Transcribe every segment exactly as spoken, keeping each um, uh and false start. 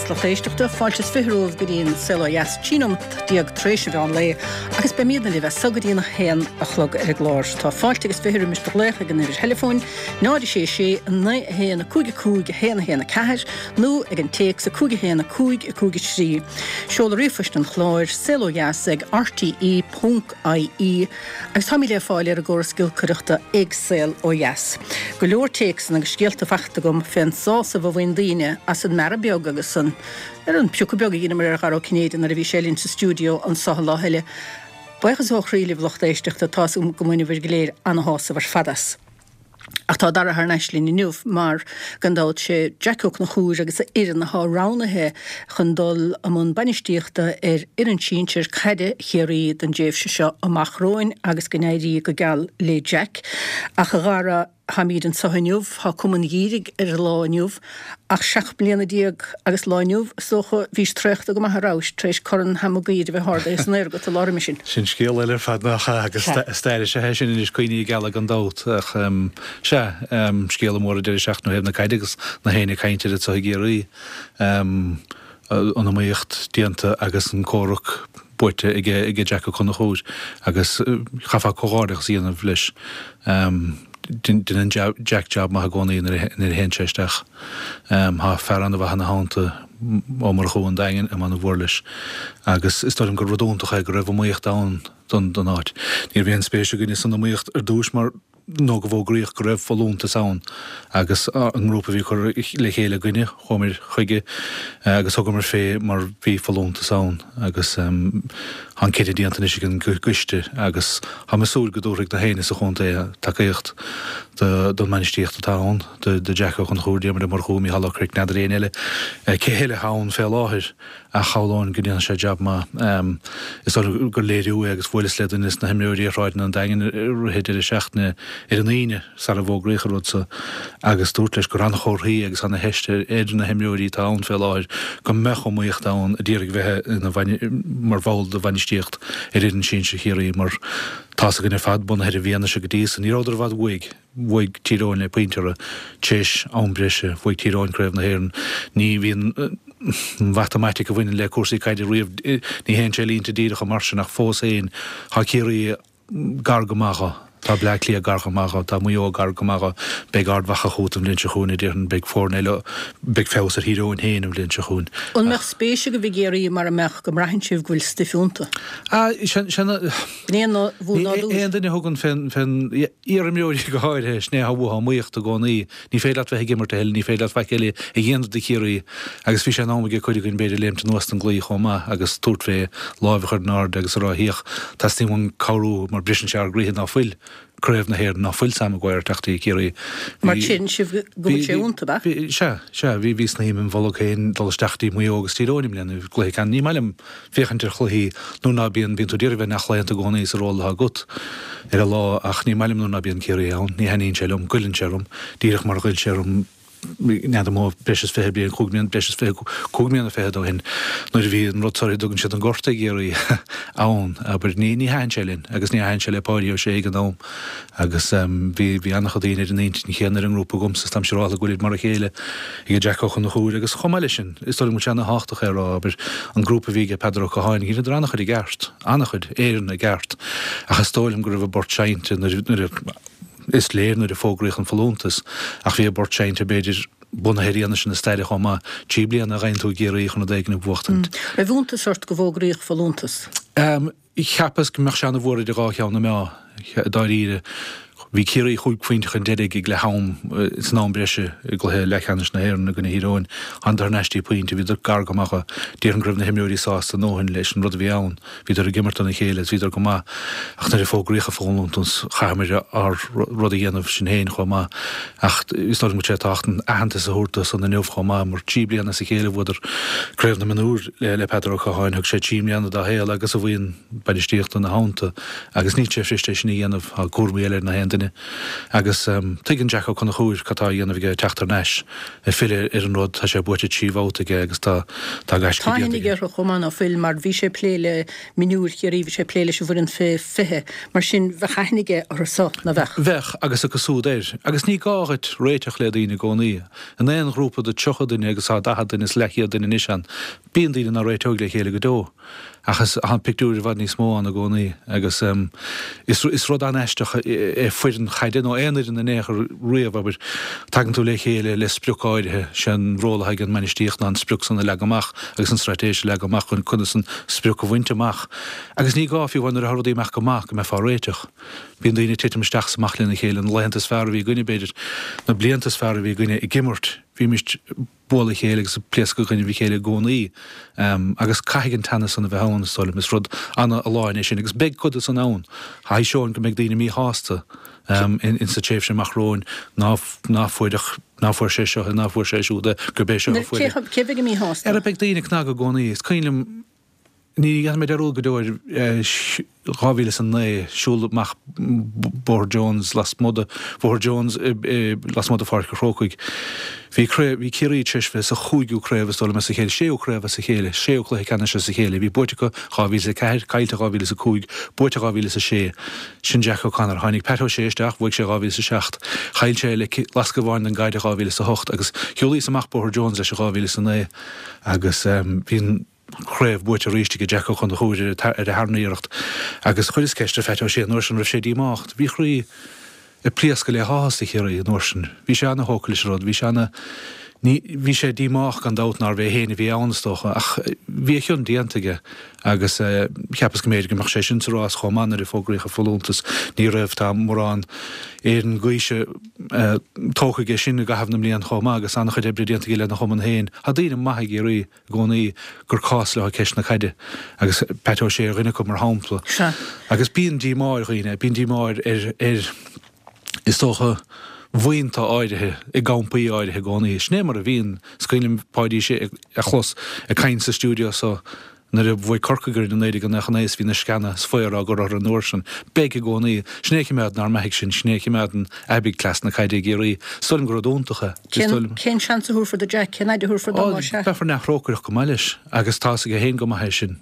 Dheas lucht éisteachta, fáilte is fiche romhaibh go dtí an Saol Ó Dheas trí nóiméad déag tar éis an mheán lae agus beimidne libh as so go dtí an haon a chlog ar an gclár. Tá fáilte agus fiche roimis do ghlaoch ag an uimhir theileafóin náid sé sé naoi a haon a cúig a cúig a haon a haon a ceathair nó ag an téacs a cúig a haon a cúig a cúig a trí. Seoladh ríomhphoist an chláir saol ó dheas ag RTE ponc IE agus táimid le fáil ar an gcóras giolcaireachta ag Saol Ó Dheas. Go leor téacsanna agus scéalta faighte agam fén sásamh a bhain daoine as an mbearradh beag agus an ar an piocadh beag a dheineamar ar Dhara Ó Cinnéide nuair a bhí sé linn sa stiúideo anso an lá eile. Buíochas ó chroí libh lucht éisteachta tá go mbaineabhair go léir ana-shásamh ar fad as. Ach tá Dara thar n-ais linn inniu mar gan dabht sé Jack Ó Conchúir agus a fhoireann atá roghnaithe chun dul i mbun bainistíochta ar fhoireann sinsir caide Chiarraí don dtréimhse seo amach romhainn agus go n-éirí go geal le Jack. Ach a Dhara táimid anso inniu, tá cuma an gheimhridh ar an lá inniu, ach seacht mbliana déag agus lá inniu is dócha bhís traochta go maith a rabhais tar éis Corn Sam Maguire a bheith ardaithe san aer agat an lá roimhe sin. Sin scéal eile ar fad nach ea agus stair is ea é sin anois cuimhní geala gan dabht ach sea scéal mór an deireadh seachtaine ó thaobh na caide agus na héinne ag caint air anseo i gCiarraí. An iomaíocht déanta agus an comhrac buaite ag Jack Ó Conchúir agus chaithfeá comhghairdeachas a dhéanamh leis. Déanann Jack jab maith i gcónaí nuair a théann sé isteach. Tá fear an-mhaith ina theannta, Ó Murchú an Daingin, a mhór leis agus is dóigh liom gur rud iontach é go raibh iomaíocht ann don don áit. Ní raibh aon spéis againne san iomaíocht ar dtús mar nó go bhfógraíodh go raibh folúntas ann agus an grúpa a bhí curtha le chéile againne, chuamar chuige agus thugamar fé mar bhí folúntas ann agus tá an cinneadh déanta anois ag an gcoiste agus táim ag súil go dtabharfaidh na héinne sa chontae tacaíocht don mbainistíocht atá ann, do Jack Ó Conchúir, Diarmuid Ó Murchú, Mícheál Ó Cnoic, n'fheadar éinne eile cé eile atá ann fé láthair. Ach shamhlóinn go ndéanfaidh sé jab maith. Is dóigh liom gur léiriú é agus bhuaileas le duine des na himreoirí ar shráideanna an Daingin i rith an deireadh seachtaine ar an Aoine sara bhfógraíodh an rud so agus dúrt leis gur an-chomharthaí agus ana-theist ar na himreoirí atá ann fé láthair go mbeadh iomaíocht ann a d'iarraidh bheith ina mar bhall de bhainistíocht ar fhoireann sinsir Chiarraí mar tá's againn ar fad bunaithe ar an bhfianaise go dtí so ní rabhadar i bhfad uaidh. Bhuaigh Tír Eoghain le pointe orthu tar éis am breise. Bhuaigh Tír Eoghain Craobh na hÉireann. Ní bhíonn an mhatamaitic a bhaineann le cúrsaí caide riamh, ní théann sé línte díreacha mar sin ach fós féin tá Ciarraí gar go maith dho. Tá Bleá Cliath gar go maith dho. Tá Maigh Eo gar go maith dho. Beidh Ard Mhacha chugat an bhliain seo chugainn, a déarfainn. Beidh foirne eile, beidh feabhas ar Thír Eoghain féin an bhliain seo chugainn. An mbeadh spéis agaibh i gCiarraí mara mbeadh go mbraitheann sibh go bhfuil stuif iontu? Ah, sin, sin, B'in é an nádúr. Aon duine a thugann fén, fén, iarimreoirí go háirithe, sin é atá uathu, iomaíocht i gcónaí. Ní féidir leat bheith ag imirt a thuilleadh, ní féidir leat faic eile a dhéanamh do Chiarraí. Agus bhí sé in am ag cuid againn b'fhéidir léimt anuas den gclaí chomh maith agus tabhairt fé, láimh a chur in airde agus a rá 'Thiach, teastaíonn uainn cabhrú mar briseann sé ár gcroíthe ná fuil Craobh na hÉireann, ná fuil Sam Maguire ag teacht go Ciarraí. Mar tchíonn sibh go bhfuil sé iontu, ab ea? Sea, sea, bhí, bhí snaidhm im bholg féin dul isteach dtí Maigh Eo agus Tír Eoghain i mbliana, cluiche ceannais. Ní maith liom féachaint ar chluichí nuair ná bíonn, bíonn tú ag iarraidh bheith neamhchlaonta i gcónaí sa ról atá agat ar an lá ach ní maith liom nuair ná bíonn Ciarraí ann, ní thaitníonn sé liom, goilleann sé orm, díreach mar a ghoill sé orm n'fheadar mó breis is fiche bliain, cúig mbliana, breis is fiche, cúig mbliana fichead ó shin nuair a bhí an rud seo a dtugann siad an gorta i gCiarraí ann, abair, ní, ní thaitin sé linn agus ní thaitin sé le Páidí Ó Sé ag an am agus bhí, bhí an-chuid daoine ar an intinn chéanna ar an ngrúpa agamsa is táim siúráilte go bhfuilid mar a chéile ag Jack Ó Conchúir agus chomh maith leis sin, is dóigh liom go bhfuil sé ana-thábhachtach é a rá, abair, an grúpa a bhí aige Peadar Ó Catháin, dheineadar an-chuid i gceart, an-chuid, Éireann i gceart ach is dóigh liom go raibh a bport seinnte nuair, nuair a, is léir nuair a fógraíodh an folúntas ach bhí a bport seinnte b'fhéidir bunaithe ar fhianaise na staire chomh maith, trí bliana a gheibheann tú i gCiarraí chun rud éigin a bhuachtaint. Raibh iontas ort go bhfógraíodh folúntas? Cheapas go mbeadh sé ana-mhór idir dhá cheann na meá, dáiríre. Bhí Ciarraí chúig phointe chun deiridh ag leath am san am breise i gcluiche leathcheannais na hÉireann i gcoinne Thír Eoghain. Thánadar thar n-ais dtí pointe, bhíodar gar go maith. Déarfainn go raibh na himreoirí sásta a ndóthain leis an rud a bhí ann. Bhíodar ag imirt dona chéile agus bhíodar go maith ach nuair a fógraíodh an folúntas chaitheamar ár rud a dhéanamh sinn féin chomh maith ach is dóigh liom go bhfuil sé tábhachtach aitheantas a thabhairt dó san inniu chomh maith mar trí bliana as a chéile bhuadar Craobh na Mionúr le Peadar Ó Catháin, thug sé trí mbliana dá shaol agus a bhuíon bainistíochta ina theannta agus níl sé fuirist é sin a dhéanamh, tá cúraimí eile ar na haon duine. duine. Agus tuigeann Jack Ó Conchúir cad tá á dhéanamh aige, teacht thar n-ais, ag filleadh ar an rud, tá sé buaite trí bhabhta aige agus tá tá gaisce Tá déanta aithne aige. aige orthu chomh maith, ná fuil, mar bhí sé ag plé le mionúir Chiarraí, bhí sé ag plé leis an bhfoireann fé fiche, mar sin bheadh aithne aige orthu so, ná bheadh? Bheadh, agus acu súd air. Agus ní gá dhuit réiteach le daoine i gcónaí. In aon ghrúpa de tríocha duine agus tá daichead duine is leathchéad duine anois ann, bíonn daoine ná réiteoidh le chéile go deo. Ach is tá an pictiúr i bhfad níos mó ann i gcónaí agus is is rud an-aisteach é foireann chaide nó aon fhoireann in aon chor riamh, abair. Tagann tú le chéile le sprioc áirithe, sé an ról atá ag an mbainistíocht ná an sprioc san a leagan amach agus an straitéis a leagan amach chun conas an sprioc a bhaint amach. Agus ní gá fiú amháin nuair atá rudaí ag imeacht go maith go mbeifeá ag réiteach. Bíonn daoine ag titim isteach is amach lena chéile, na laethanta is fearr a bhí againne b'fhéidir, na blianta is fearr a bhí againne ag imirt, bhímis bualadh a chéile agus ag pléascadh i gcoinnibh a chéile i gcónaí agus caithfidh an teannas san a bheith ann, is dóigh liom. Is rud an-fholláin é sin agus beidh cuid de san ann. Thaispeáin go mbeidh daoine míshásta in sa tréimhse amach romhainn ná ná fuair ach ná fuair sé seo é, ná fuair sé siúd é, gurb é seo a fuair é. Cé bheidh míshásta? Ara beidh daoine ag cnagadh i gcónaí. Is cuimhin liom Ní dhéanfaidh mé dearúd go deo ar dhá mhíle is a naoi, siúl amach Bóthar Jones lasmuigh de Bhóthar Jones lasmuigh de Pháirc an Chrócaigh. Bhí craobh, bhí Ciarraí tar éis bheith sa chúigiú craobh is dóigh liom as a chéile, séú craobh as a chéile, séú cluiche ceannais as a chéile. Bhí buaite acu dhá mhíle is a ceathair, caillte dhá mhíle is a cúig, buaite dhá mhíle is a sé. Sin Jack O'Connor. Tháinig Pat O'Shea isteach, bhuaigh sé dhá mhíle is a seacht. Chaill sé le lasc amháin don gcaid dhá mhíle is a hocht agus shiúlaíos amach Bóthar Jones leis i dhá mhíle is a naoi agus bhí an chraobh buaite arís ag Jack Ó Conchúir ar a tharna iarracht agus chuireas ceist ar Phat O'Shea an uair sin raibh sé díomách. Bhí a chroí ag pléascadh le háthas do Chiarraí an uair sin. Bhí sé ana-thógtha leis an rud. Bhí sé ana, ní, bhí sé díomách gan dabht nárbh é féin a bhí ann is dócha ach bhí a chion déanta aige agus cheapas go mb'fhéidir go mbeadh sé sin sa rás chomh maith nuair a fógraíodh a folúntas. Ní raibh, tá mórán Éireann gaoise tógtha aige sin i gcaitheamh na mblian chomh maith agus an-chuid oibre déanta aige lena chumann féin. Tá daoine maithe i gCiarraí i gcónaí gur cás leo ceist na caide agus Pat O'Shea ar dhuine acu mar shampla. Sea. Agus bíonn díomá ar dhaoine, bíonn díomá ar, ar, is dócha, bhuíonta áirithe i gcampaí áirithe i gcónaí. Sin é mar a bhíonn. Is cuimhin liom Páidí Sé a chlos ag caint sa stiúideo so nuair a bhuaigh Corcaigh orainn i naoi déag nócha naoi is bhí na sceana is faobhar á gcur orthu an uair sin. Beidh i gcónaí. Sin é a chimeádann ár mbeathaigh sinn, sin é a chimeádann aibidh cleas na caide i gCiarraí. Is dóigh liom gur rud iontach é. Is Cén, dóigh liom. cén seans a thabharfar do Jack? Cén fhaid a thabharfar dó Ó, más ea? beifear neamhthrócaireach go maith leis agus tá fhios aige féin go maith é sin.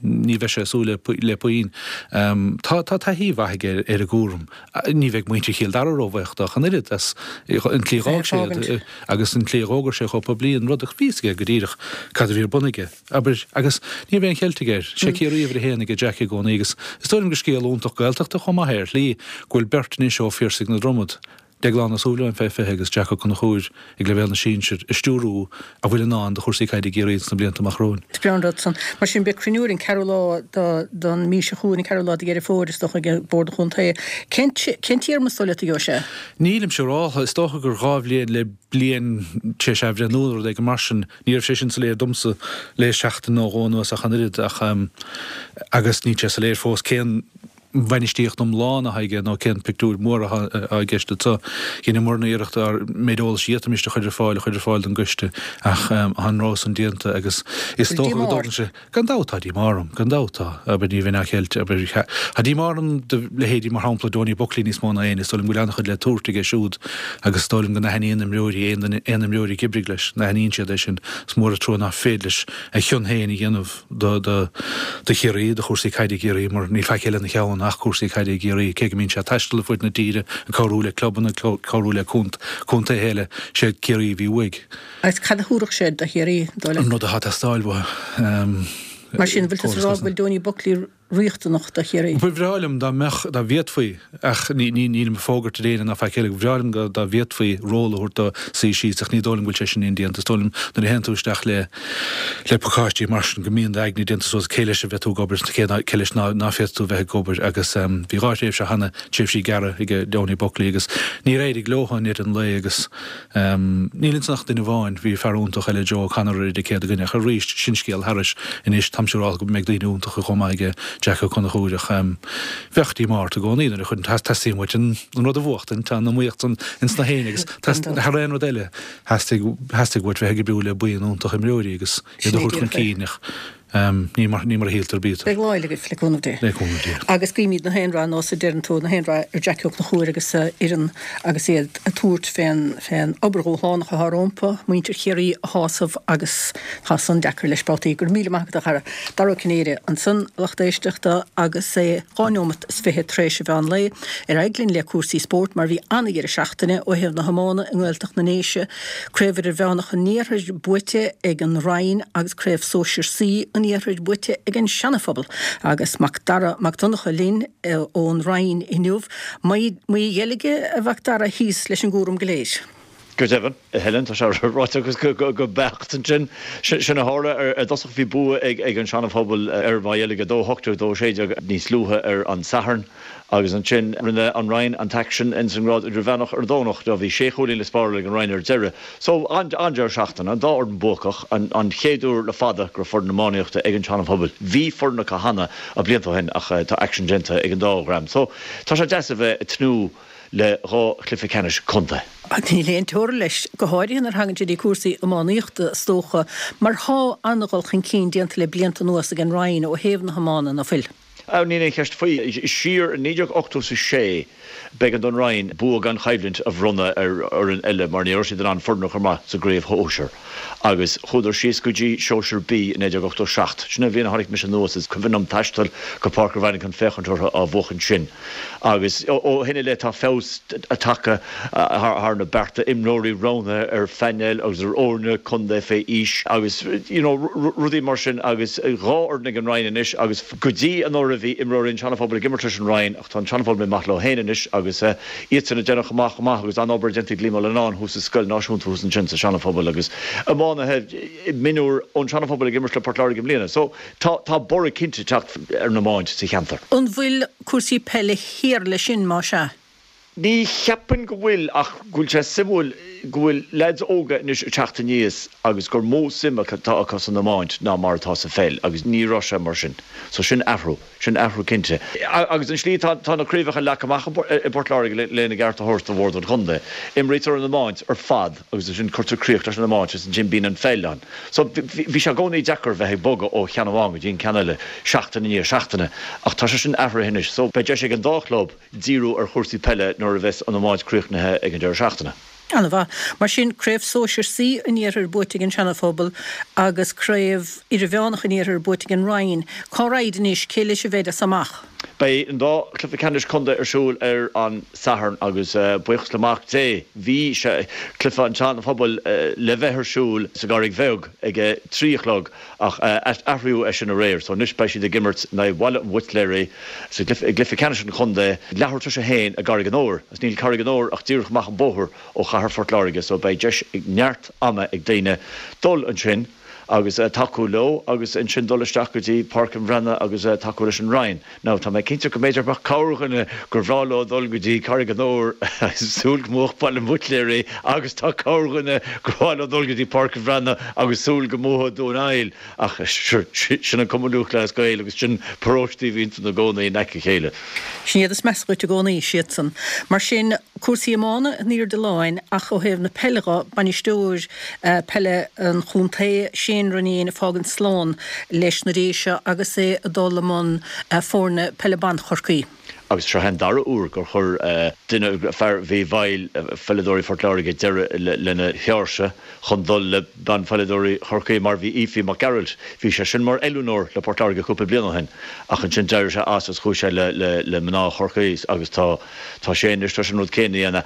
Ní bheidh sé ag súil le, le puinn. Tá, tá taithí mhaith aige ar, ar an gcúram. Ní bheidh muintir Chill Dara róbhuíoch dó ach an oiread as an tslí a Bheith dh'fhág sé ag iad fágaint. agus an tslí a dh'fhógair sé chomh poiblí an rud ach bhí fhios aige go díreach cad a bhí ar bun aige. Abair, agus ní raibh aon cheilt aige air. Sé Ciarraí uimhir a haon aige Jack i gcónaí agus is dóigh liom gur scéal iontach Gaeltachta chomh maith é ar shlí go bhfuil beirt anois ó Phiarsaigh na Dromad, Deaglán Ó Súilleabháin fé fiche agus Jack Ó Conchúir ag leibhéal na sinsear ag stiúrú a bhfuil i ndán do chúrsaí caide i gCiarraí sna blianta amach romhainn. Is breá an rud san. Mar sin, beidh cruinniú ar an ceathrú lá den mhí seo chugainn, an ceathrú lá de Dheireadh Fómhair, is dócha, ag Bord an Chontae. Cén cén téarma is dóigh leat a gheobhaidh sé? Nílim siúráltha. Is dócha gur dhá bhliain le bliain tar éis athbhreithniú nó rud éigin mar sin. Ní raibh sé sin soiléir domsa le seachtain nó dhó anuas ach an oiread ach agus níl sé soiléir fós cén bhainistíocht iomlán atá aige nó cén pictiúr mór atá i gceist anseo. Dheineamarna iarracht ár méid eolais a d'fhéadfaimis a chur ar fáil a chur ar fáil don gcoiste ach tá an rogha san déanta agus is Bhfuil dócha go díomá dtógann ort? sé. Gan dabht tá díomá orm, gan dabht tá. Abair ní bheinn á cheilt, abair tá díomá orm do leithéidí mar shampla Donie Buckley níos mó ná éinne, is dóigh liom go bhfuil an-chuid le tabhairt aige siúd agus is dóigh liom go n-aithníonn imreoirí, aon duine, aon imreoir a d'oibrigh leis, n-aithníonn siad é sin. Is mór an trua nach féidir leis a chion féin a dhéanamh do, do, do Chiarraí, do chúrsaí caide i gCiarraí mar níl faic eile ina cheann ach cúrsaí caide i gCiarraí, cé go mbíonn sé ag taisteal ar fud na tíre, ag cabhrú le clubanna, ag cabhrú le contaetha eile, sé Ciarraí a bhí uaidh. Agus cad a thabharfadh sé do Chiarraí, dóigh An leat? rud atá ag teastáil uathu. Mar sin, bhfuil tusa ag rá go bhfuil Donie Buckley riachtanach do Chiarraí? Ba bhreá liom dá mbeadh, dá bhféadfaí, ach ní, ní, nílim ag fógairt ar éinne ná faic eile, ba bhreá liom go, dá bhféadfaí ról a thabhairt dó suí síos ach ní dóigh liom go bhfuil sé sin indéanta. Is dóigh liom nuair a théann tú isteach le, le pacáistí mar sin go mbíonn d'aigne déanta suas cé leis a bheidh tú ag obair is cé ná, cé leis ná, ná féadfaidh tú bheith ag obair agus bhí dhá thréimhse cheana, tréimhsí gearra ag Donie Buckley agus níor éirigh leo i ndeireadh an lae agus níl ansan ach duine amháin, bhí fear iontach eile Joe O'Connor ar an chéad dhuine ach arís sin scéal thairis anois táim siúrálta go mbeidh daoine iontacha chomh maith aige Jack Ó Conchúir ach bheadh díomá ort i gcónaí nuair a chuireann teastaíonn uait an rud a bhuachtaint, tá an iomaíocht san ins na héinne agus thar aon rud eile theastaigh theastaigh uait bheith ag oibriú le buíon iontach imreoirí agus iad a Sin é thabhairt chun díreach é. cinn ach Ní mar ní mar a shíltear a bítear. Beidh lá eile agaibh, le cúnamh Dé. Le cúnamh Dé. Agus guímid na haon rath nós a deireann tú, na haon rath ar Jackie Ó Conchúir agus a fhoireann agus iad ag tabhairt fén fén obair dhúshlánach atá rompu, muintir Chiarraí a shásamh agus tá san deacair leis babhtaí. Go raibh míle maith agat a chara. Dara Ó Cinnéide ansan, a lucht éisteachta, agus é dhá neomat is fiche tar éis an mheán lae. Ar aghaidh linn le cúrsaí spóirt mar bhí an-dheireadh seachtaine ó thaobh na hiomána i nGaeltacht na nDéise. Craobh Idirmheánach an Iarthair buaite ag an Rinn agus Craobh Sóisir C an Iarthair buaite ag an Seana-Phobal agus Mac Dara Mac Donncha linn ón Rinn inniu. Maigh Dheilge, a Mhac Dara, thíos leis an gcúram go léir. Go deimhin, a Helen, tá sé ráite agat go beacht ansin. Sin a tharla. Ar dtosach bhí bua ag an Seana-Phobal ar Mhaigh Dheilge, a dó a hocht déag, a dó a sé déag níos luaithe ar an Satharn. Agus ansin rinne an Rinn an t-aicsean ins an ngrád idirmheánach ar an Domhnach. Bhí sé chúilín le spáráil ag an Rinn ar deireadh. So, an-deireadh seachtaine, an dá fhoireann buacach, an chéad uair le fada go raibh foireann iománaíochta ag an tSeana-Phobal. Bhí foireann acu cheana blianta ó shin ach tá aicsean déanta ag an dá dhream. So, tá sé deas a bheith ag tnúth le dhá chluiche ceannais contae. Níl aon teora leis, go háirithe nuair a thagann sé dtí cúrsaí iománaíochta, is dócha, mar thá an-dhul chun cinn déanta le blianta anuas ag an Rinn ó thaobh na hiomána, ná fuil? Níl aon cheist faoi. Siar i naoi déag ochtó is a sé, b'éigean don Rinn bua gan choimhlint a bhronnadh ar fhoireann eile mar ní raibh siad in ann foireann a chur amach sa gcraobh shóisir agus chuadar síos go dtí Sóisear B i naoi déag ochtó seacht. Sin an bhliain a tháinig mise anuas. Is cuimhin liom taisteal go Páirc an Bhreathnaigh chun féachaint orthu á bhuachan sin. Agus ó shin i leith tá feabhas tagtha thar na bearta, imreoirí roghnaithe ar phainéil agus ar fhoirne contae fé aois agus you know rudaí mar sin agus dhá fhoireann ag an Rinn anois agus go dtí anuraidh bhí imreoirí an tSeana-Phobail ag imirt leis an Rinn ach tá an Seana-Phobal imithe amach leo féin anois agus iadsan ag déanamh chomh maith chomh maith agus an-obair déanta ag Liam Ó Leannáin thuas sa scoil náisiúnta thuas ansin sa Seana-Phobal agus iománaithe mionúir ón Seana-Phobal ag imirt le Port Láirge i mbliana so tá tá borradh cinnte ag teacht ar an iomáint sa cheantar. An bhfuil cúrsaí peile thiar leis sin, más ea? Ní cheapaim go bhfuil ach go bhfuil sé suimiúil go bhfuil leaids óga anois ag teacht aníos agus gur mó suim atá acu san iomáint ná mar atá sa pheil agus ní raibh sé mar sin. So sin athrú, sin athrú cinnte. Agus an slí atá tá na craobhacha leagtha amach i bPort Láirge lena gceart a thabhairt do bhord an chontae, imrítear an iomáint ar fad agus ansin cuirtear críoch leis an iomáint agus ansin bíonn an pheil ann. So bhí sé i gcónaí deacair bheith ag bogadh ó cheann amháin go dtí an ceann eile seachtain i ndiaidh seachtaine ach tá sé sin athraithe anois. So beidh deis ag an dá chlub díriú ar chúrsaí peile nuair a bheas an iomáint críochnaithe ag an deireadh seachtaine. An-mhaith. Mar sin, Craobh Sóisir C an Iarthair buaite ag an Seana-Phobal agus Craobh Idirmheánach an Iarthair buaite ag an Rinn. Cá raghaid anois? Cé leis a bheid as amach? Beidh an dá chluiche ceannais contae ar siúl ar an Satharn agus, buíochas le Mac Dé, bhí sé, cluiche an tSeana-Phobail, le bheith ar siúl sa gCarraig Bheag ag a trí a chlog ach athraíodh é sin aréir so anois beidh siad ag imirt in aghaidh Bhaile an Bhuitléaraigh sa i gcluiche ceannais an chontae leathuair tar éis a haon i gCarraig an Óir agus níl Carraig an Óir ach díreach amach an bóthar ó chathair Phort Láirge so beidh deis ag neart ama ag daoine dul ansin agus tacú leo agus ansin dul isteach go dtí Páirc an Bhreathnaigh agus tacú leis an Rinn. Now tá mé cinnte go mb'fhéidir go mbeadh corrdhuine gur bhreá leo dul go dtí Carraig an Óir agus súil go mbuafadh Baile an Bhuitléaraigh agus tá corrdhuine gur mhaith leo dul go dtí Páirc an Bhreathnaigh agus súil go mbuafadh Dún Aill ach sure sin an Cumann Lúthchleas Gael agus sin paróistí a bhíonn ina gcónaí in aice a chéile. Sin iad is measa dhuit i gcónaí, siadsan. Mar sin, cúrsaí iomána in airde láin ach ó thaobh na peile dho, bainisteoir peile an chontae, Shane Ronayne ag fágaint slán leis na Déise agus é ag dul i mbun foirne peile ban Chorcaí. Agus seo é an dara huair gur chuir duine, fear a bhí i bhfeighil pheileadóirí Phort Láirge, deireadh lena shaoirse chun dul le banpheileadóirí Chorcaí, mar bhí Ephie Mac Gearailt. Bhí sé sin mar oiliúnóir le Port Láirge cúpla bliain ó shin ach ansin d'éirigh sé as agus chuaigh sé le mná Chorcaí agus tá tá sé anois tar éis an rud céanna a dhéanamh.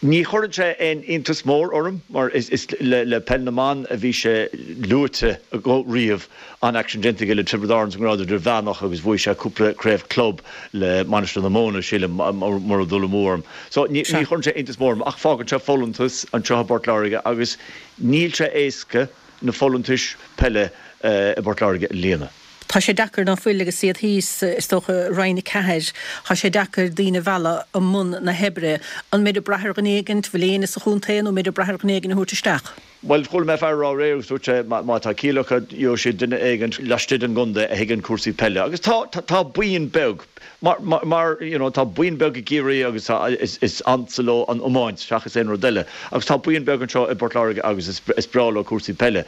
Ní chuireann sé aon iontas mór orm mar is le Peil na mBan a bhí sé luaite riamh, an-aicsean déanta aige le Tiobraid Árann sa ngrád idirmheánach agus bhuaigh sé cúpla craobh club le Mainistir na Móna, sílim, mura bhfuil dul amú orm. So ní chuireann sé iontas mór orm ach fágann sé folúntas anseo i bPort Láirge agus níl sé éasca na folúntais peile i bPort Láirge a líonadh. Tá sé deacair ná fuil agus iad thíos, is dócha, i Roinn a ceathair. Tá sé deacair daoine a mhealladh i mbun na hoibre. An mbeid ag brath ar dhuine éigint, bhfuil éinne sa chontae nó an mbeid ag brath ar dhuine éigin a thabhairt isteach? Bhuel, chuala mé fear a rá aréir agus dúirt sé má tá ciall acu, gheobhaidh siad duine éigin laistigh den gcontae a thuigeann cúrsaí peile. Agus tá, tá buíon beag, mar, mar, you know, tá buíon beag i gCiarraí agus tá, is, is ansa leo an iomáint seachas aon rud eile. Agus tá buíon beag anseo i bPort Láirge agus is, is breá leo cúrsaí peile.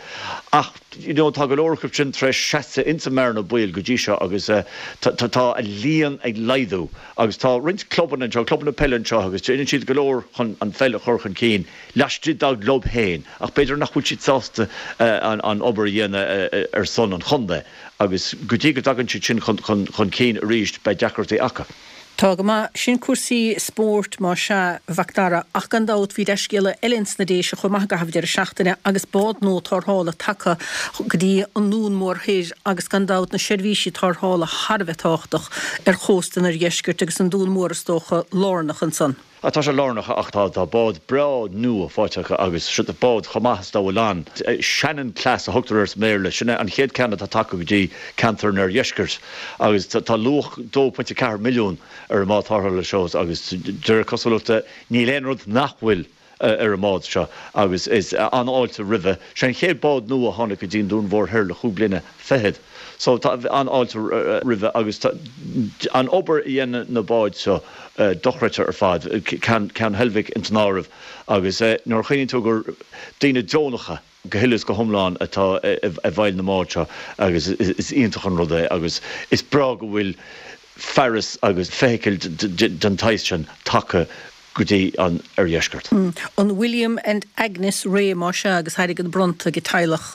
Ach, you know, tá go leor acu sin tar éis seasamh insa mbearna baoil go dtí seo agus tá, tá a líon ag laghdú. Agus tá roinnt clubanna anseo, clubanna peile anseo agus déanann siad go leor chun an pheil a chur chun cinn laistigh dá gclub féin ach b'fhéidir nach bhfuil siad sásta an obair a dhéanamh ar son an chontae agus go dtí go dtagann siad sin chun cinn arís beidh deacrachtaí acu. Tá go maith. Sin cúrsaí spóirt más ea, a Mhac Dara, ach gan dabht bhí dea-scéala eile ins na Déise chomh maith i gcaitheamh deireadh seachtaine agus bád nua tarrthála tagtha go dtí an nDún Mór Thoir agus gan dabht na seirbhísí tarrthála thar a bheith tábhachtach ar chósta an oirdheiscirt agus an Dún Mór is dócha lárnach ansan. Tá sé lárnach ach tá tá bád breá nua faighte acu agus seo bád chomh maith is dá bhfuil ann. Shannon class a thugtar air sa mBéarla. Sin é an chéad ceann atá tagtha go dtí ceantar an oirdheiscirt agus tá luach dó pointe ceathair milliún ar an mbád tarrthála seo agus de réir cosúlachta níl aon rud nach bhfuil ar an mbád seo agus is an-fháilte roimhe. Sé an chéad bád nua a tháinig go dtí an Dún Mhór Thoir le chúig bliana fichead. So tá an-fháilte roimhe agus tá an obair a dhéanann na báid seo dochreidte ar fad, ceann Heilbhic ins an áireamh agus nuair a chuimhníonn tú gur daoine deonacha go huile is go hiomlán atá i bhfeighil na mbád seo agus is iontach an rud é agus is breá go bhfuil fearas agus feithicil den tsaghas sin tagtha go dtí an oirdheisceart. An William and Agnes Ray más ea agus airgead bronnta ag teaghlach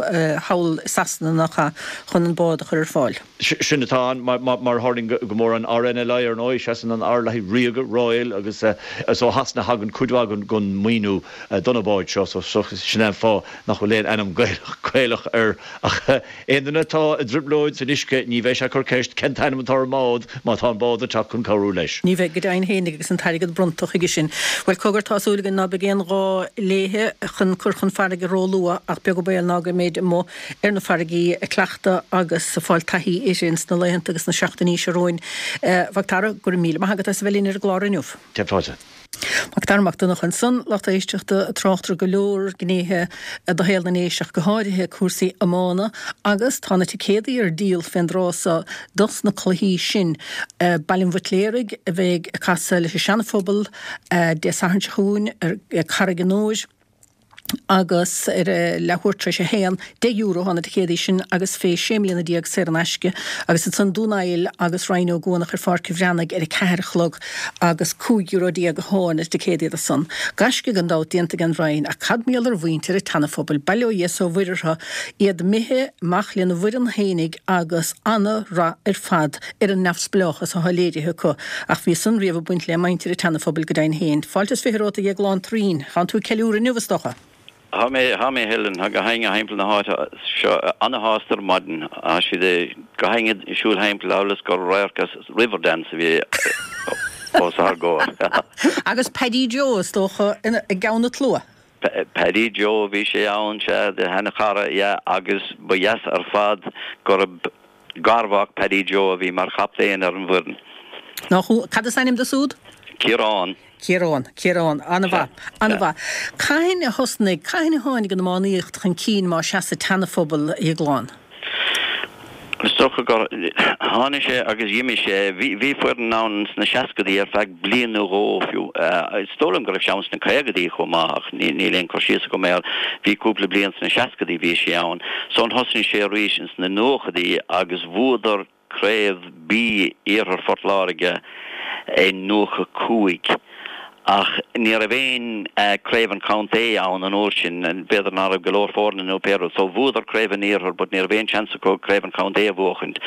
thall i Sasana nach ea chun an bád a chur ar fáil. Sin atá ann, mar a tharlaíonn go mór an RNLI ar ndóigh, seasann an R le haghaidh Ríoga, Royal, agus is ó Shasana a thagann cuid mhaith den mhaoiniú do na báid seo, so sin é an fáth nach bhfuil aon ainm Gaelach air. Ach aon duine atá i dtrioblóid san uisce, ní bheidh sé ag cur ceist cén t-ainm atá ar an mbád má tá an bád ag teacht chun cabhrú leis. Ní bheidh, go deimhin féinig, agus an t-airgead bronnta chuige sin. Bhuel, cogar, tá súil againn ná beidh aon ghá léithe chun cur chun farraige róluath ach beag an baol ná go mbeid amuigh ar na farraigí ag cleachtadh agus ag fáil taithí uirthi ins na laethanta agus na seachtainí seo romhainn. A Mhac Dara, go raibh míle maith agat as a bheith linn ar an gclár inniu. Céad fáilte. Macdara Mac Donncha ansan, lucht éisteachta, tráchtaire ar go leor gnéithe de shaol na nDéise ach go háirithe cúrsaí iomána agus tá na ticéadaí ar díol fén dtráth so dos na cluichí sin. Baile an Bhuitléaraigh a bheidh ag casadh leis an Seana-Phobal Dé Sathairn seo chugainn ar Carraig an Iúir agus ar a leathuair tar éis a haon, deich euro atá na ticéadaí sin agus fé sé mbliana déag saor in aisce agus ansan Dún Aill agus Rinn Ó gCuanach ar Pháirc an Bhreathnaigh ar a ceathair a chlog agus cúig euro déag atá na ticéadaí do san. Gaisce gan dabht déanta ag an Rinn ach cad mar gheall ar mhuintir an tSeana-Phobail, bail ó Dhia 's ó Mhuire orthu, iad imithe amach lena bhfoireann fhéinig agus ana-rath ar fad ar an neamhspleáchas atá léirithe acu. Ach bhí san riamh ag baint le muintir an tSeana-Phobail go deimhin féin. Fáilte is fiche romhat a Dhéagláin Turraoin. Tánn tú ag ceiliúradh inniu is dócha? Tá mé, tá mé Helen, tá gach éinne thimpeall na háite seo ana-shásta ar maidin. Tá siad gach éinne ag siúl thimpeall amhail is gur radharc as Riverdance a bhí os ár gcomhair. Agus Paddy Joe, is dócha, i gceann an tslua? Paddy Joe, bhí sé ann, sea, do sheana-chara, yeah, agus ba dheas ar fad gurb garmhac Paddy Joe a bhí mar chaptaen ar an bhfoireann. Nach, cad is ainm dó súd? Ciarán. Ciarán, Ciarán, an-mhaith, an-mhaith. Cathain a thosnaigh, cathain a tháinig an iománaíocht chun cinn más ea sa tSeana-Phobal, a Dhéagláin? Is dócha gur tháinig sé agus d'imigh sé. Bhí, bhí foireann ann sna seascadaí ar feadh bliain nó dhó fiú. Is dóigh liom go raibh sé ann sna caogadaí chomh maith ach ní, níl aon cur síos agam air. Bhí cúpla bliain sna seascadaí bhí sé ann. Ansan thosnaigh sé arís ins na nóchadaí agus bhuadar Craobh B Iarthar Phort Láirge i nócha cúig ach ní raibh aon Craobh an Chontae ann an uair sin, b'fhéidir ná raibh go leor foirne nó pé rud, so bhuadar Craobh an Iarthair but ní raibh aon seans acu Craobh an Chontae a bhuachaint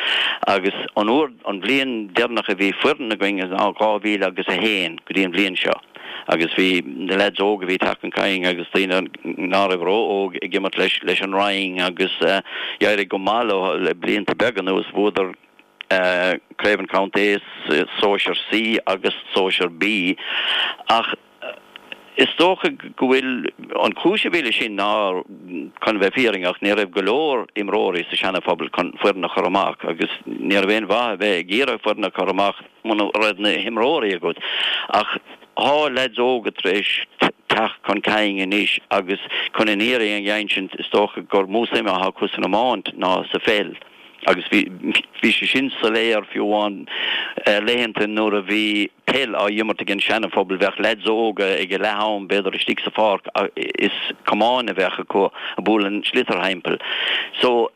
agus an uair, an bhliain deireanach a bhí foireann againn ná dhá mhíle agus a haon go dtí an bhliain seo agus bhí na lads óga a bhí teacht chun cinn agus daoine ná raibh ró-óg ag imirt leis leis an Rinn agus d'éirigh go maith leo le blianta beaga anuas, bhuadar Craobh an Chontae, Sóisear C agus Sóisear B ach is dócha go bhfuil an chúis a bhí leis sin ná, chun a bheith fírinneach, ní raibh go leor imreoirí sa Seana-Phobal chun foireann a chur amach agus ní raibh aon mhaith a bheith ag iarraidh foireann a chur amach muna raibh na himreoirí agat. Ach thá leaids óga tar éis teacht chun cinn anois agus chun an fhírinne a insint is dócha gur mó suim atá acu san iomáint ná sa pheil. Agus bhí bhí sé sin soiléir fiú amháin laethanta nuair a bhí peil á imirt ag an Seana-Phobal bheadh leaids óga ag a leath am b'fhéidir istigh sa pháirc is camáin a bheadh acu ag bualadh an sliotar thimpeall. So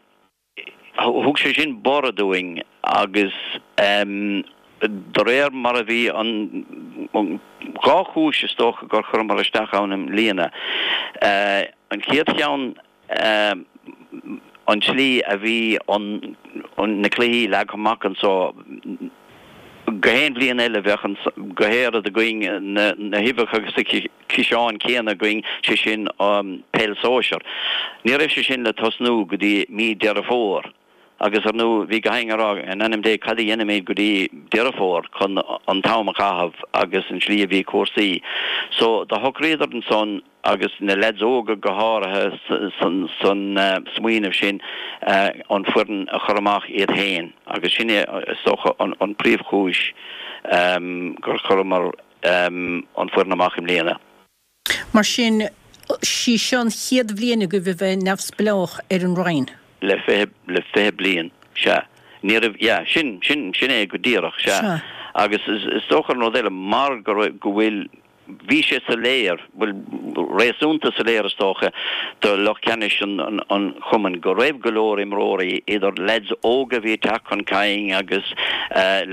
thug sé sin borradh dúinn agus de réir mar a bhí an dhá chúis is dócha gur chuireamar isteach ann i mbliana. An chéad cheann an tslí a bhí an na cluichí leagtha amach anso, gach aon bhliain eile bheadh an go héiread againn na na huibheacha agus na ciseáin céanna againn, sé sin peil sóisear. Ní raibh sé sin le tosnú go dtí mí Deireadh Fómhair agus ar ndú bhí gach éinne ag rá in ainm Dé cad a dhéanfaimid go dtí Deireadh Fómhair chun an t-am a chaitheamh agus an tslí a bhí cúrsaí. So do shocraíodar ansan agus na leaids óga go háirithe san smaoineamh sin an foireann a chur amach iad féin agus sin é is dócha an príomhchúis gur chuireamar an foireann amach i mbliana. Mar sin, sí seo an chéad bhliain agaibh a bheith neamhspleách ar an Roinn? Le fiche, le fiche bliain, sea. Ní raibh, yeah, sin, sin, sin é go díreach, sea. Sea. Agus is dócha an rud eile, mar go raibh, go bhfuil, Bhí sé soiléir, bhuel, réasúnta soiléir is dócha, do lucht ceannais an chumainn go raibh go leor imreoirí, idir leaids óga a bhí ag teacht chun cinn agus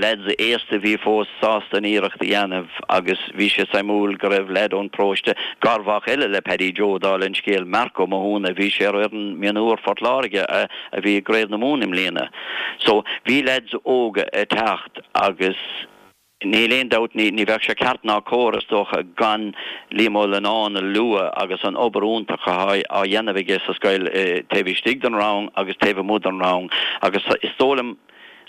leaids aosta a bhí fós sásta an iarracht a dhéanamh agus bhí sé suimiúil go raibh leaid ón bparóiste, garmhac eile le Paddy Joe, dála an scéil, Marc Ó Mathúna, bhí sé ar fhoireann mionúir Phort Láirge a bhí i gCraobh na Mumhan i mbliana. So, bhí leaids óga ag teacht agus. Níl aon dabht, ní bheadh sé ceart ná cóir, is dócha, gan Liam Ó Leannáin a lua agus an obair iontach atá á dhéanamh aige sa scoil taobh istigh den rang agus taobh amuigh den rang agus is dóigh liom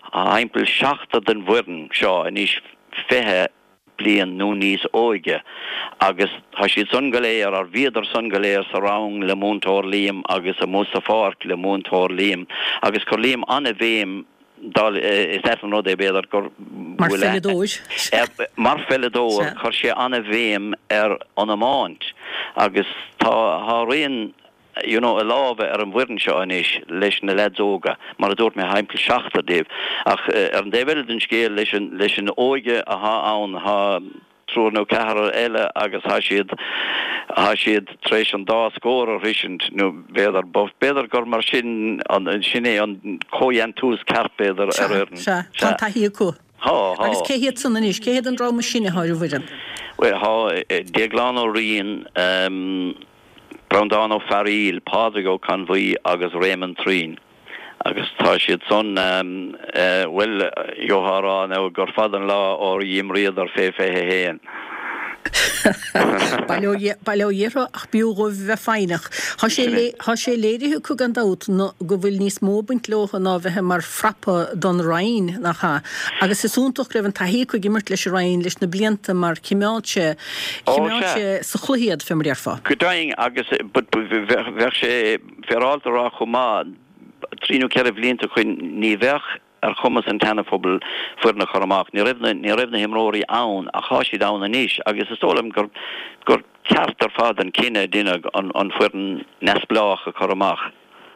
tá timpeall seachtar den bhfoireann seo anois fiche bliain nó níos óige agus tá siad san go léir, or bhíodar san go léir sa rang le Múinteoir Liam agus amuigh sa pháirc le Múinteoir Liam agus chuir Liam an-bhéim Dál, is ait an rud é, b'fhéidir, gur Mar pheileadóir. Mar pheileadóir, chuir sé an-bhéim ar an iomáint agus tá tá rian you know a láimhe ar an bhfoireann seo anois leis na leaids óga, mar a dúirt mé, thimpeall seachtar díobh. Ach ar an dtaobh eile den scéal, leis an leis an óige athá ann, thá triúr nó ceathrar eile agus thá siad, thá siad tar éis an dá scór a shroisint, nó b'fhéidir, b'fhéidir gur mar sin an, sin é an comhdhéantús ceart b'fhéidir ar Sea, fhoireann. sea, tá Sea. taithí acu. Thá, thá. Agus cé hiad san anois? Cé hiad an dream is sine athá ar an bhfoireann? Bhuel, thá Déaglán Ó Riain, Breandán Ó Fearaíl, Pádraig Ó Conbhuí agus Réamonn Treen. Agus tá siad san, bhuel, gheofá a rá now gur fada an lá ó dh'imríodar fé fiche a haon. Bail ó Dhia orthu ach b'fhiú dhóibh a bheith foighneach. Tá sé tá sé léirithe acu gan dabht go bhfuil níos mó ag baint leo ná bheith mar frapa don Roinn, nach ea? Agus is iontach go raibh an taithí acu ag imirt leis an Roinn leis na blianta mar chimeád sé chimeád sé sa chluiche iad, fé mar a déarfá. Go deimhin agus but bheadh sé féaráilte a rá chomh maith, trí nó ceithre bhlianta ó shoin ní bheadh ar chumas an tSeana-Phobail foireann a chur amach. Ní raibh na, ní raibh na himreoirí ann ach thá siad ann anois agus is dóigh liom gur, gur ceart ar fad an cinneadh a deineadh an, an foireann neamhspleách a chur amach.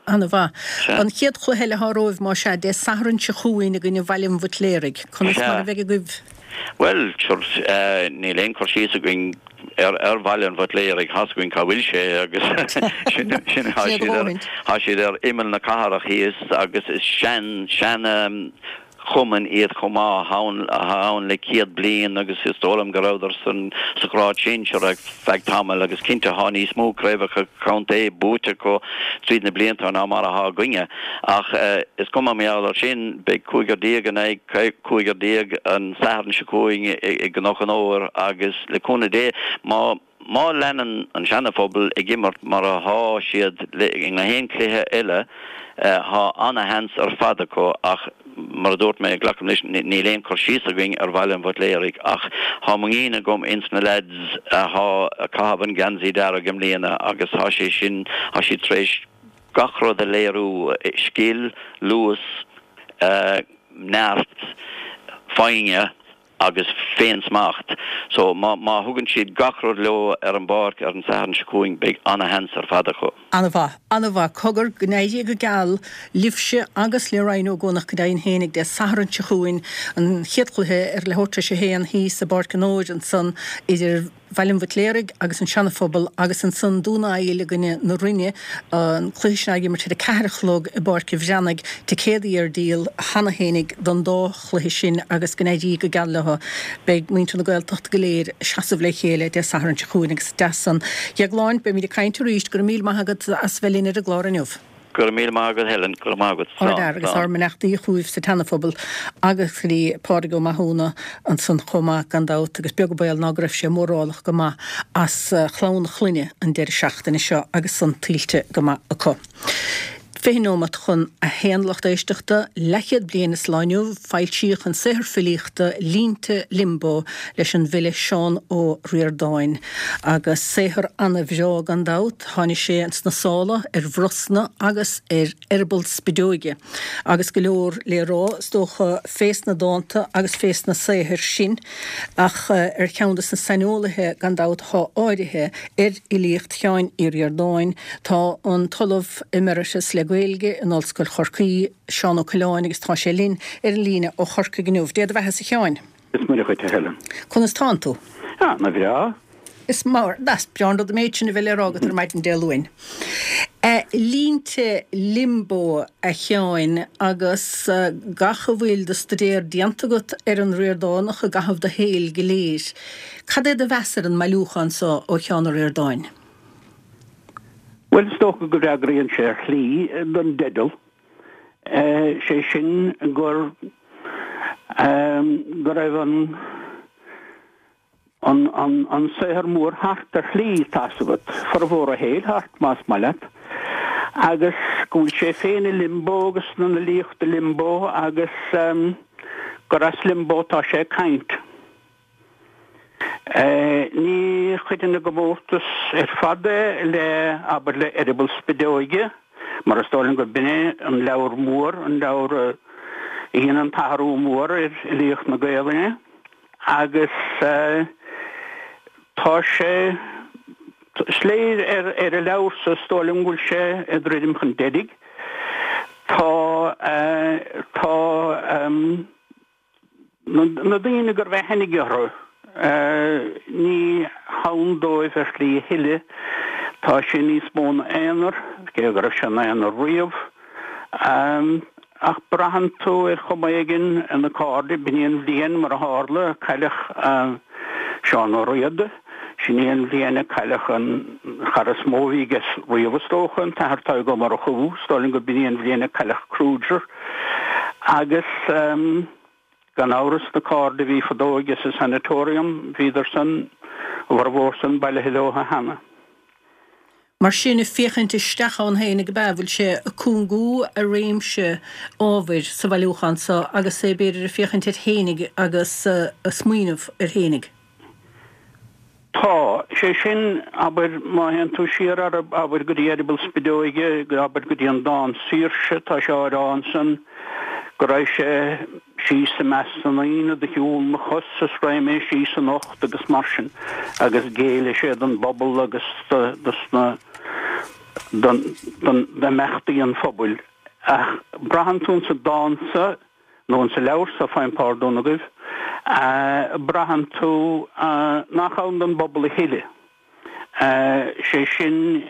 Ana-mhaith. Sea. An chéad chluiche eile athá romhaibh, más ea, Dé Sathairn seo chugainn i gcoinne Bhaile an Bhuitléaraigh. Conas mar Sea. a bheidh agaibh? Bhuel, sure, níl aon chur síos againn ar ar Bhaile an Bhuitléaraigh, thá's againn cá bhfuil sé agus sin sin thá Sin siad ar dóthain. thá siad ar imeall na cathrach thíos agus is sean sean chumann iad chomh maith athá ann athá ann le céad bliain agus is dóigh liom go rabhadar san sa ghrád sinsear ar feadh tamaill agus cinnte thá níos mó craobhacha contae buaite acu tríd na blianta ná mar athá againne. Ach is cuma mar gheall air sin, beidh cúigear déag in aghaidh cúigear déag an Satharn seo chugainn i gCnoc an Fhómhair agus le cúnamh Dé, má má leanann an Seana-Phobal ag imirt mar athá siad i ngach aon chluiche eile, thá ana-sheans ar fad acu ach mar a dúirt mé, glacaim leis, níl aon chur síos againn ar Bhaile an Bhuitléaraigh ach thá muinín agam ins na leaids athá ag caitheamh an geansaí dearg i mbliana agus thá sé sin, thá siad tar éis gach rud a léiriú, scil, luas, neart, foighne agus féin-smacht. So má má thugann siad gach rud leo ar an bpáirc ar an Satharn seo chugainn beidh ana-sheans ar fad acu. Ana-mhaith, ana-mhaith. Cogar, go n-éirí go geal libhse agus le Ryan Óg Eoghanach go deimhin fhéinig Dé Sathairn seo chugainn, an chéad chluiche ar leathuair tar éis a haon thíos i bPáirc an Fhóid ansan idir Bhaile an Bhuitléaraigh agus an Seana-Phobal agus ansan Dún Aill i gcoinne na Rinne, an cluiche sin á imirt ar a ceathair a chlog i bPáirc an Bhreathnaigh. Ticéadaí ar díol cheana fhéinig don dá chluiche sin agus go n-éirí go geal leo. Beidh muintir na Gaeltachta go léir ag seasamh le chéile Dé Sathairn seo chugainn agus deas san. A Dheagláin, beimid ag caint arís. Go raibh míle maith agat as bheith linn ar an gclár inniu. Go raibh míle maith agat Helen, go raibh maith agat. Slán. Ardfhear agus ár mbeannachtaí chugaibh sa tSeana-Phobal agus go dtí Pádraig Ó Mathúna ansan chomh maith gan dabht agus beag an baol ná go raibh sé mórálach go maith as chlann a chlainne an deireadh seachtaine seo agus san tuillte go maith acu. Fiche nóimeat chun a haon lucht éisteachta, leathchéad bliain is lá inniu, foilsíodh an saothar filíochta Línte Limbo leis an bhfile Seán Ó Ríordáin. Agus saothar ana-bhreá gan dabht, tháinig sé sna sála ar bhrosna agus ar eireaball spideoige. Agus go leor le rá, is dócha, fés na dánta agus fés na saothair sin, ach ar cheann de na saineolaithe gan dabht atá áirithe ar fhilíocht Sheáin Uí Ríordáin, tá an tOllamh Emeritus le Gaeilge in Ollscoil Chorcaí, Seán Ó Coileáin, agus tá sé linn ar an líne ó Chorcaigh inniu. Dé do bheatha-sa a Sheáin. Is Muire dhuit, a Helen. Conas tánn tú? Ana bhreá. Is mar, is breá an rud an méid sin a bheith le rá agat ar maidin Dé Luain. Línte Limbo, a Sheáin, agus gach a bhfuil de staidéar déanta agat ar an Ríordánach i gcaitheamh do shaoil go léir, cad é do mheas ar an mbailiúchán so ó Sheán Ó Ríordáin? Bhuel, is dócha go bhfreagraíonn sé ar shlí don dteideal, sé sin gur go raibh an an an an saothar mór thart ar shlí, tá's agat, formhór a shaoil thart, más maith leat, agus go bhfuil sé féin i limbo agus an fhilíocht i limbo agus gur as limbo atá sé ag caint. Ní chuireann i gcomórtas ar fad é le, abair, le Eireaball Spideoige, mar is dóigh liom gurb in é an leabhar mór, an leabhar a dhein an t-athrú mór ar fhilíocht na Gaelainne, agus tá sé, is léir ar an leabhar so, is dóigh liom go bhfuil sé ag druidim chun deiridh. Tá, tá. Na daoine go raibh aithne aige orthu, ní hann dóibh ar shlí a thuilleadh. Tá sé níos mó ina aonar, cé go raibh sé ina aonar riamh. Ach braitheann tú ar chuma éigin ar na cairde, b'in í an bhliain, mar a tharla, a cailleadh Seán Ó Riada. Sin í an bhliain a cailleadh an chara is mó a bhí aige riamh, is dócha, an tAthair Tadhg Ó Murchú. Is dóigh liom go b'in í an bhliain a cailleadh Kruger. Agus. Gan amhras, na cairde a bhí fadó aige sa Sanatorium, bhíodar san, a bhformhór san, bailithe leo cheana. Mar sin, ag féachaint isteach ann féinig ab ea, bhfuil sé ag cúngú a réimse ábhair sa bhailiúchán so agus é b'fhéidir ag féachaint air féinig agus ag smaoineamh air féinig. Tá. Sé sin, abair, má théann tú siar, abair, go dtí Eireaball Spideoige, abair, go dtí an dán Saoirse, tá sé á rá ansan go raibh sé síos i measc na ndaoine do shiúl mo chos is raghaidh mé síos anocht agus mar sin agus géillfidh sé don bpobal agus dos na, don, don, d'imeachtaí an phobail. Ach braitheann tú insa dán sa, nó insa leabhar so, faighim pardún agaibh, braitheann tú nach ann don bpobal a thuilleadh. Sé sin,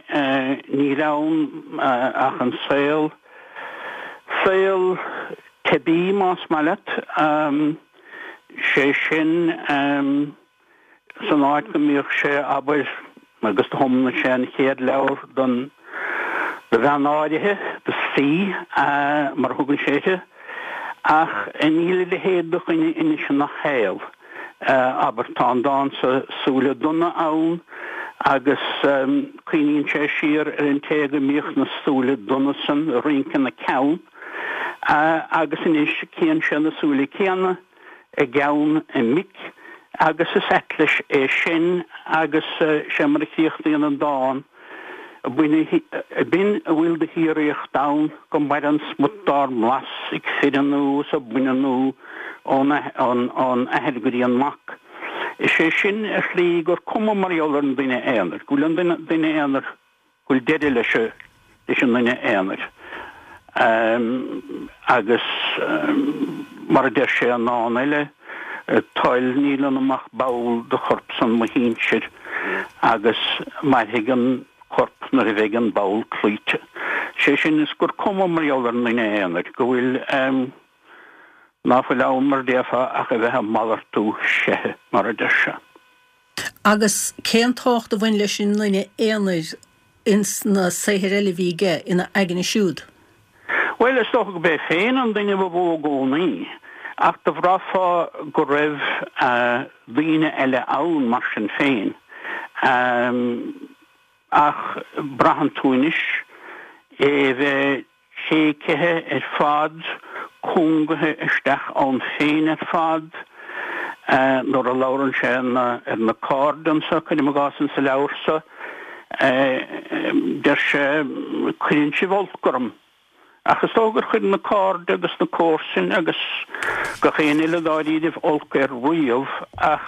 níl ann ach an saol, saol teibí más maith leat, sé sin, san áit go mbíodh sé, abair, agus do thiomnaigh sé an chéad leabhar don do bhean áirithe, do C, mar a thugann sé uirthi, ach níl a leithéid de dhuine anois ina shaol. Abair, tá an dán so Súile Donna ann agus cuimhníonn sé siar ar an té go mbíodh na súile donna san ag rince ina ceann agus anois cíonn sé na súile céanna i gceann a mic agus is ait leis é sin agus sé mar a chríochnaíonn an dán, B'in a bhfuil de shíoraíocht ann go maireann smut dár mblas ag fireannú is ag baineannú ón athair go dtí an mac. Is é sin ar shlí gur cuma mar gheall ar an duine aonair, go bhfuil an duine aonair, go bhfuil deireadh leis leis an duine aonair. Agus mar a deir sé i ndán eile, toil níl ionam ach ball de chorp san mo shinsir agus mairfidh an corp nuair a bheidh an ball cloíte. Sé sin is gur cuma mar gheall ar an duine aonair, go bhfuil ná fuil ann mar déarfá ach a bheith ag malartú seithe, mar a deir sé. Agus cén tábhacht a bhain leis an nduine aonair ins na saothair eile a bhí aige ina aigne siúd? Bhuel, is dócha go b'é féin an duine ba mhó i gcónaí, ach do bhraithfeá go raibh daoine eile ann mar sin féin. Ach braitheann tú anois é a bheith téicithe ar fad, cúngaithe isteach ann féin ar fad. Nuair a labhrann sé ar na cairde anso, cuirim i gcás insa leabhar so, deir sé, 'Cuireann sibh olc orm. Ach is dócha gur chuir na cairde agus na comharsain agus gach aon eile dáiríribh olc air riamh ach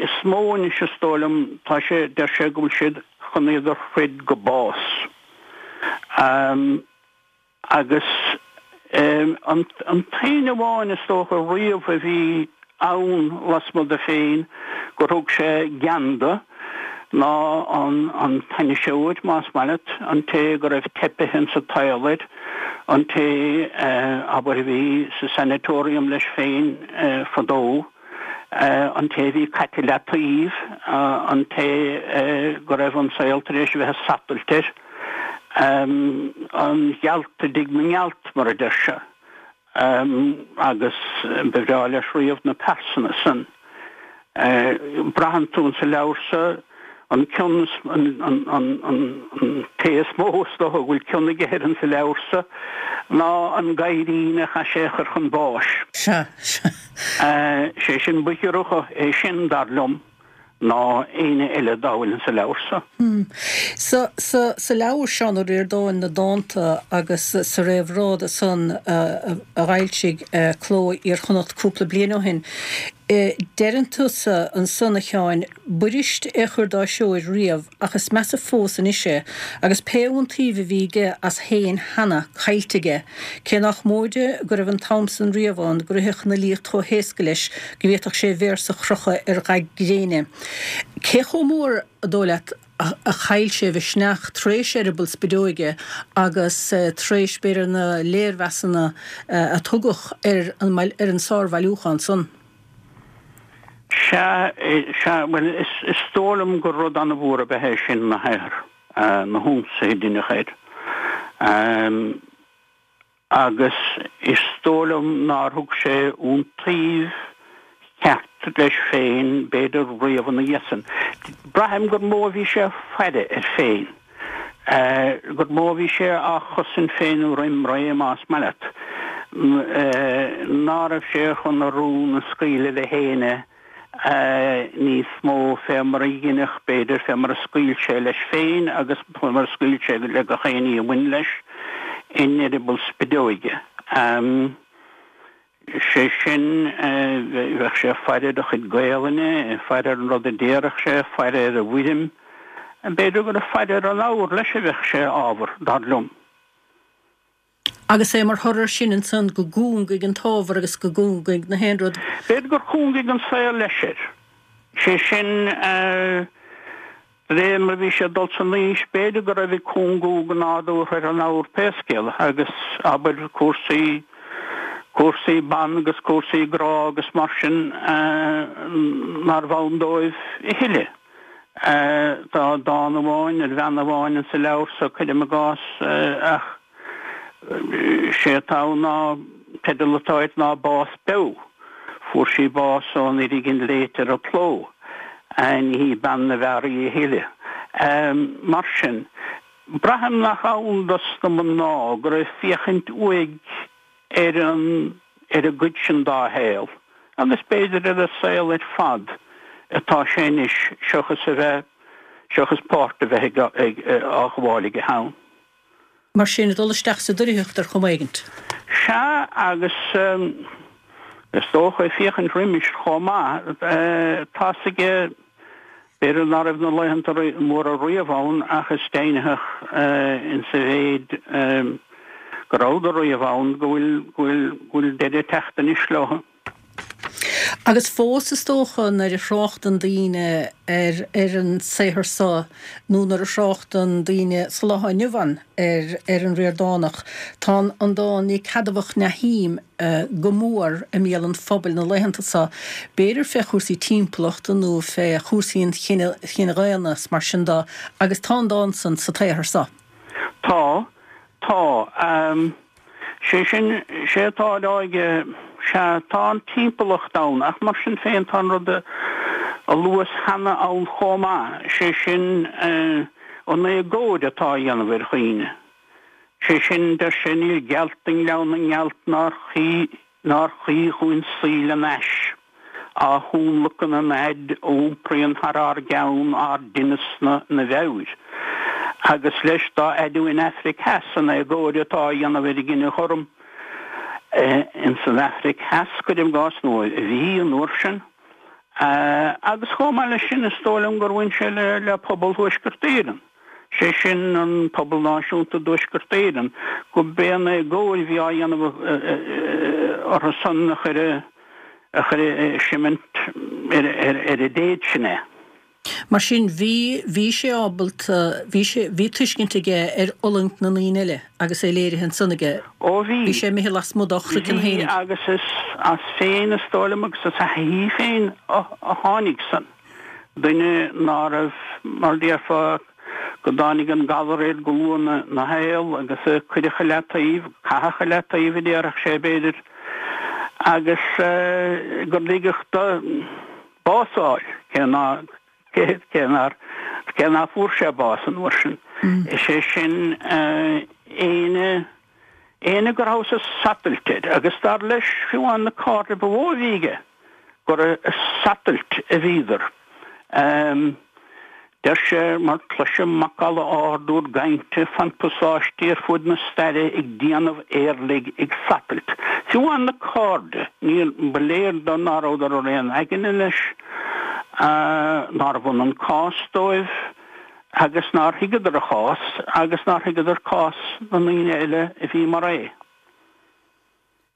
is mó anois is dóigh liom, tá sé, deir sé go bhfuil siad chun iad a throid go bás. Agus an t-aon amháin is dócha riamh a bhí ann lasmuigh de féin gur thug sé gean do ná an t-ainniseoir, más maith leat, an té go raibh teipithe insa tsaol air, an té, abair, a bhí sa sanatorium leis féin fadó. an té a bhí caite i leataobh, an té go raibh an saol tar éis a bheith ag satailt air, an ghealt a d'ith na ngealt, mar a deir sé, agus ba bhreá leis riamh na pearsana san. Braitheann tú insa leabhar so an cion, an té is mó is dócha go bhfuil cion aige air insa leabhar so ná an gadhairín a chaith sé a chur chun báis. Sea, sea. Sé sin ba ghiorra dho é sin, dar liom, ná éinne eile dá bhfuil insa leabhar so. Sa, sa, sa leabhar, Seán Ó Ríordáin, na dánta agus sa réamhrá do san a d'fhoilsigh Cló Iar-Chonnacht cúpla bliain ó shin, Deireann tusa ansan, a Sheáin, b'fhuirist é chur dá threoir riamh, ach is measa fós anois é, agus pé iontaoibh a bhí aige as féin cheana caillte aige, cé nách móide go raibh an t-am san riamh ann go rithfeadh an fhilíocht chomh héasca leis go bhféadfadh sé véarsa chrochadh ar gha gréine. Cé chomh mór, an dóigh leat, a chaill sé a mhisneach tar éis Eireaball Spideoige agus tar éis, b'fhéidir, na léirmheasanna a tugadh ar an sárbhailiúchán san? Sea, sea, bhuel, is dóigh liom gur rud an-mhór ab ea é sin, na hathar, na hionsaithe a deineadh air. Agus is dóigh liom nár thug sé iontaoibh cheart leis féin, b'fhéidir, riamh ina dhiaidh san. Braithim gur mó a bhí sé ag faire air féin. gur mó a bhí sé á chosaint féin roim ré, más maith leat, ná raibh sé chun a rún a scaoileadh le héinne níos mó fé mar a dheineadh, b'fhéidir, fé mar a scaoil sé leis féin agus fé mar a scaoil sé le gach aon ní a bhain leis in Eireaball Spideoige. Sé sin, bheadh sé ag faire ar a chuid Gaelainne, ag faire ar an rud a déarfadh sé, ag faire ar an bhfoirm. B'fhéidir gur ag faire ar an abhar leis a bheadh sé ábhar, dar liom. Agus é mar thoradh air sin ansan go gcúngaigh an t-ábhar agus go gcúngaigh na haon rud. B'fhéidir gur chúngaigh an saol leis air. Sé sin, De réir mar a bhí sé ag dul san aois, b'fhéidir go raibh ag cúngú go nádúrtha ar an abhar pé scéal é, agus, abair, cúrsaí, cúrsaí ban agus cúrsaí grá agus mar sin nárbh ann dóibh a thuilleadh. Tá dán amháin ar bhean amháin insa leabhar so, cuirim i gcás, ach sé atá ann ná, teideal atá air ná Bás Beo. Fuair sí bás ón fhoirgint léite ar an chló. Ní hí bean na bhfear í a thuilleadh. Mar sin, braithim nach ann dos na mná go raibh féachaint uaidh ar an ar an gcuid sin dá shaol, agus b'fhéidir ar a saol ar fad, atá sé anois, seachas a bheith, seachas páirt a bheith ag, á ghabháil aige ann. Mar sin, ag dul isteach sa doircheacht ar chuma éigint. Sea, agus is dócha ag féachaint roimis chomh maith, tá's aige, b'fhéidir ná raibh na laethanta móra riamh ann ach is deimhnitheach insa mhéid go rabhadar riamh ann go bhfuil, go bhfuil, go bhfuil deireadh ag teacht anois leo. Agus fós is dócha nuair a thráchtann daoine ar ar an saothar so nó nuair a thráchtann daoine sa lá inniu ann ar ar an Ríordánach, tá an dán Ní ceadmhach Neathím go mór i mbéal an phobail na laethanta so, b'fhéidir fé chúrsaí timpeallachta nó fé chúrsaí an chine chine dhaonna is mar sin de, agus tá an dán san sa tsaothar so. Tá. Tá. Sé sin, sé atá á rá aige, sea, tá an timpeallacht ann, ach mar sin féin tá an rud a luas cheana ann chomh maith, sé sin, an éagóir atá á dhéanamh ar dhaoine. Sé sin, deir sé, níl gealt i nGleann na nGealt nár chuí, nár chuí dhúinn suí lena ais, á thionlacan an fhaid a iompraíonn thar ár gceann ár dtinneas-na 'na mheabhair. Agus leis, dá fhaide uainn Aifric Theas, an éagóir atá á dhéanamh ar an gcine gorm ins an Aifric Theas, cuirim i gcás, nó a bhí an uair sin. Agus chomh maith leis sin, is dóigh liom gur bhain sé le pobal Thuaisceart Éireann, sé sin an pobal náisiúnta i dTuaisceart Éireann, go b'é an éagóir a bhí á dhéanamh orthu san a chuir a chuir seimint ar an dtéad sin é. Mar sin, bhí, bhí sé ábalta, bhí sé, bhí tuiscint aige ar fhulaingt na ndaoine eile agus é léirithe ansan aige. Ó bhí. Bhí sé imithe lasmuigh dá chraiceann Bhí fhéinig. agus is as féin is dóigh liom agus as a thaithí féin a tháinig san. Duine ná raibh, mar déarfá, go dtáinig an galar air go luath ina shaol agus a cuireadh i leataobh, caitheadh i leataobh a déarfadh sé b'fhéidir, agus gur ligeadh do bás a fháil, cé ná cé nár cé ná fuair sé bás an uair sin. Is é sin éinne éinne go rabhthas ag satailt air agus dar leis fiú amháin na cairde ba mhó a bhí aige gur ag satailt a bhíodar. Deir sé, mar cloisim macalla ard úr gcainte fan pasáistí ar fuaid na staire ag déanamh éirligh ag satailt. Fiú amháin na cairde, níor, ba léir dó ná rabhadar ar aon aigne leis, nárbh ionann cás dóibh agus nár thuigeadar a chás agus nár thuigeadar cás na ndaoine eile a bhí mar é.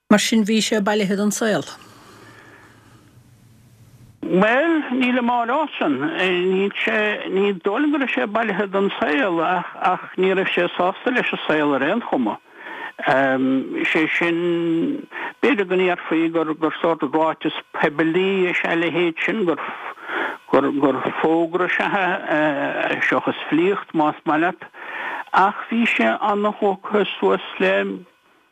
Mar sin bhí sé bailithe don saol. Bhuel, nílim á rá san. Níl sé, ní dóigh liom go raibh sé bailithe don saol ach, ach ní raibh sé sásta leis an saol ar aon chuma. Sé sin, b'fhéidir go ndéarfaí gur, gur sórt ráiteas poiblí is ea a leithéid sin, gur, gur, gur fógra is ea é, seachas filíocht, más maith leat. Ach bhí sé ana-thógtha suas le,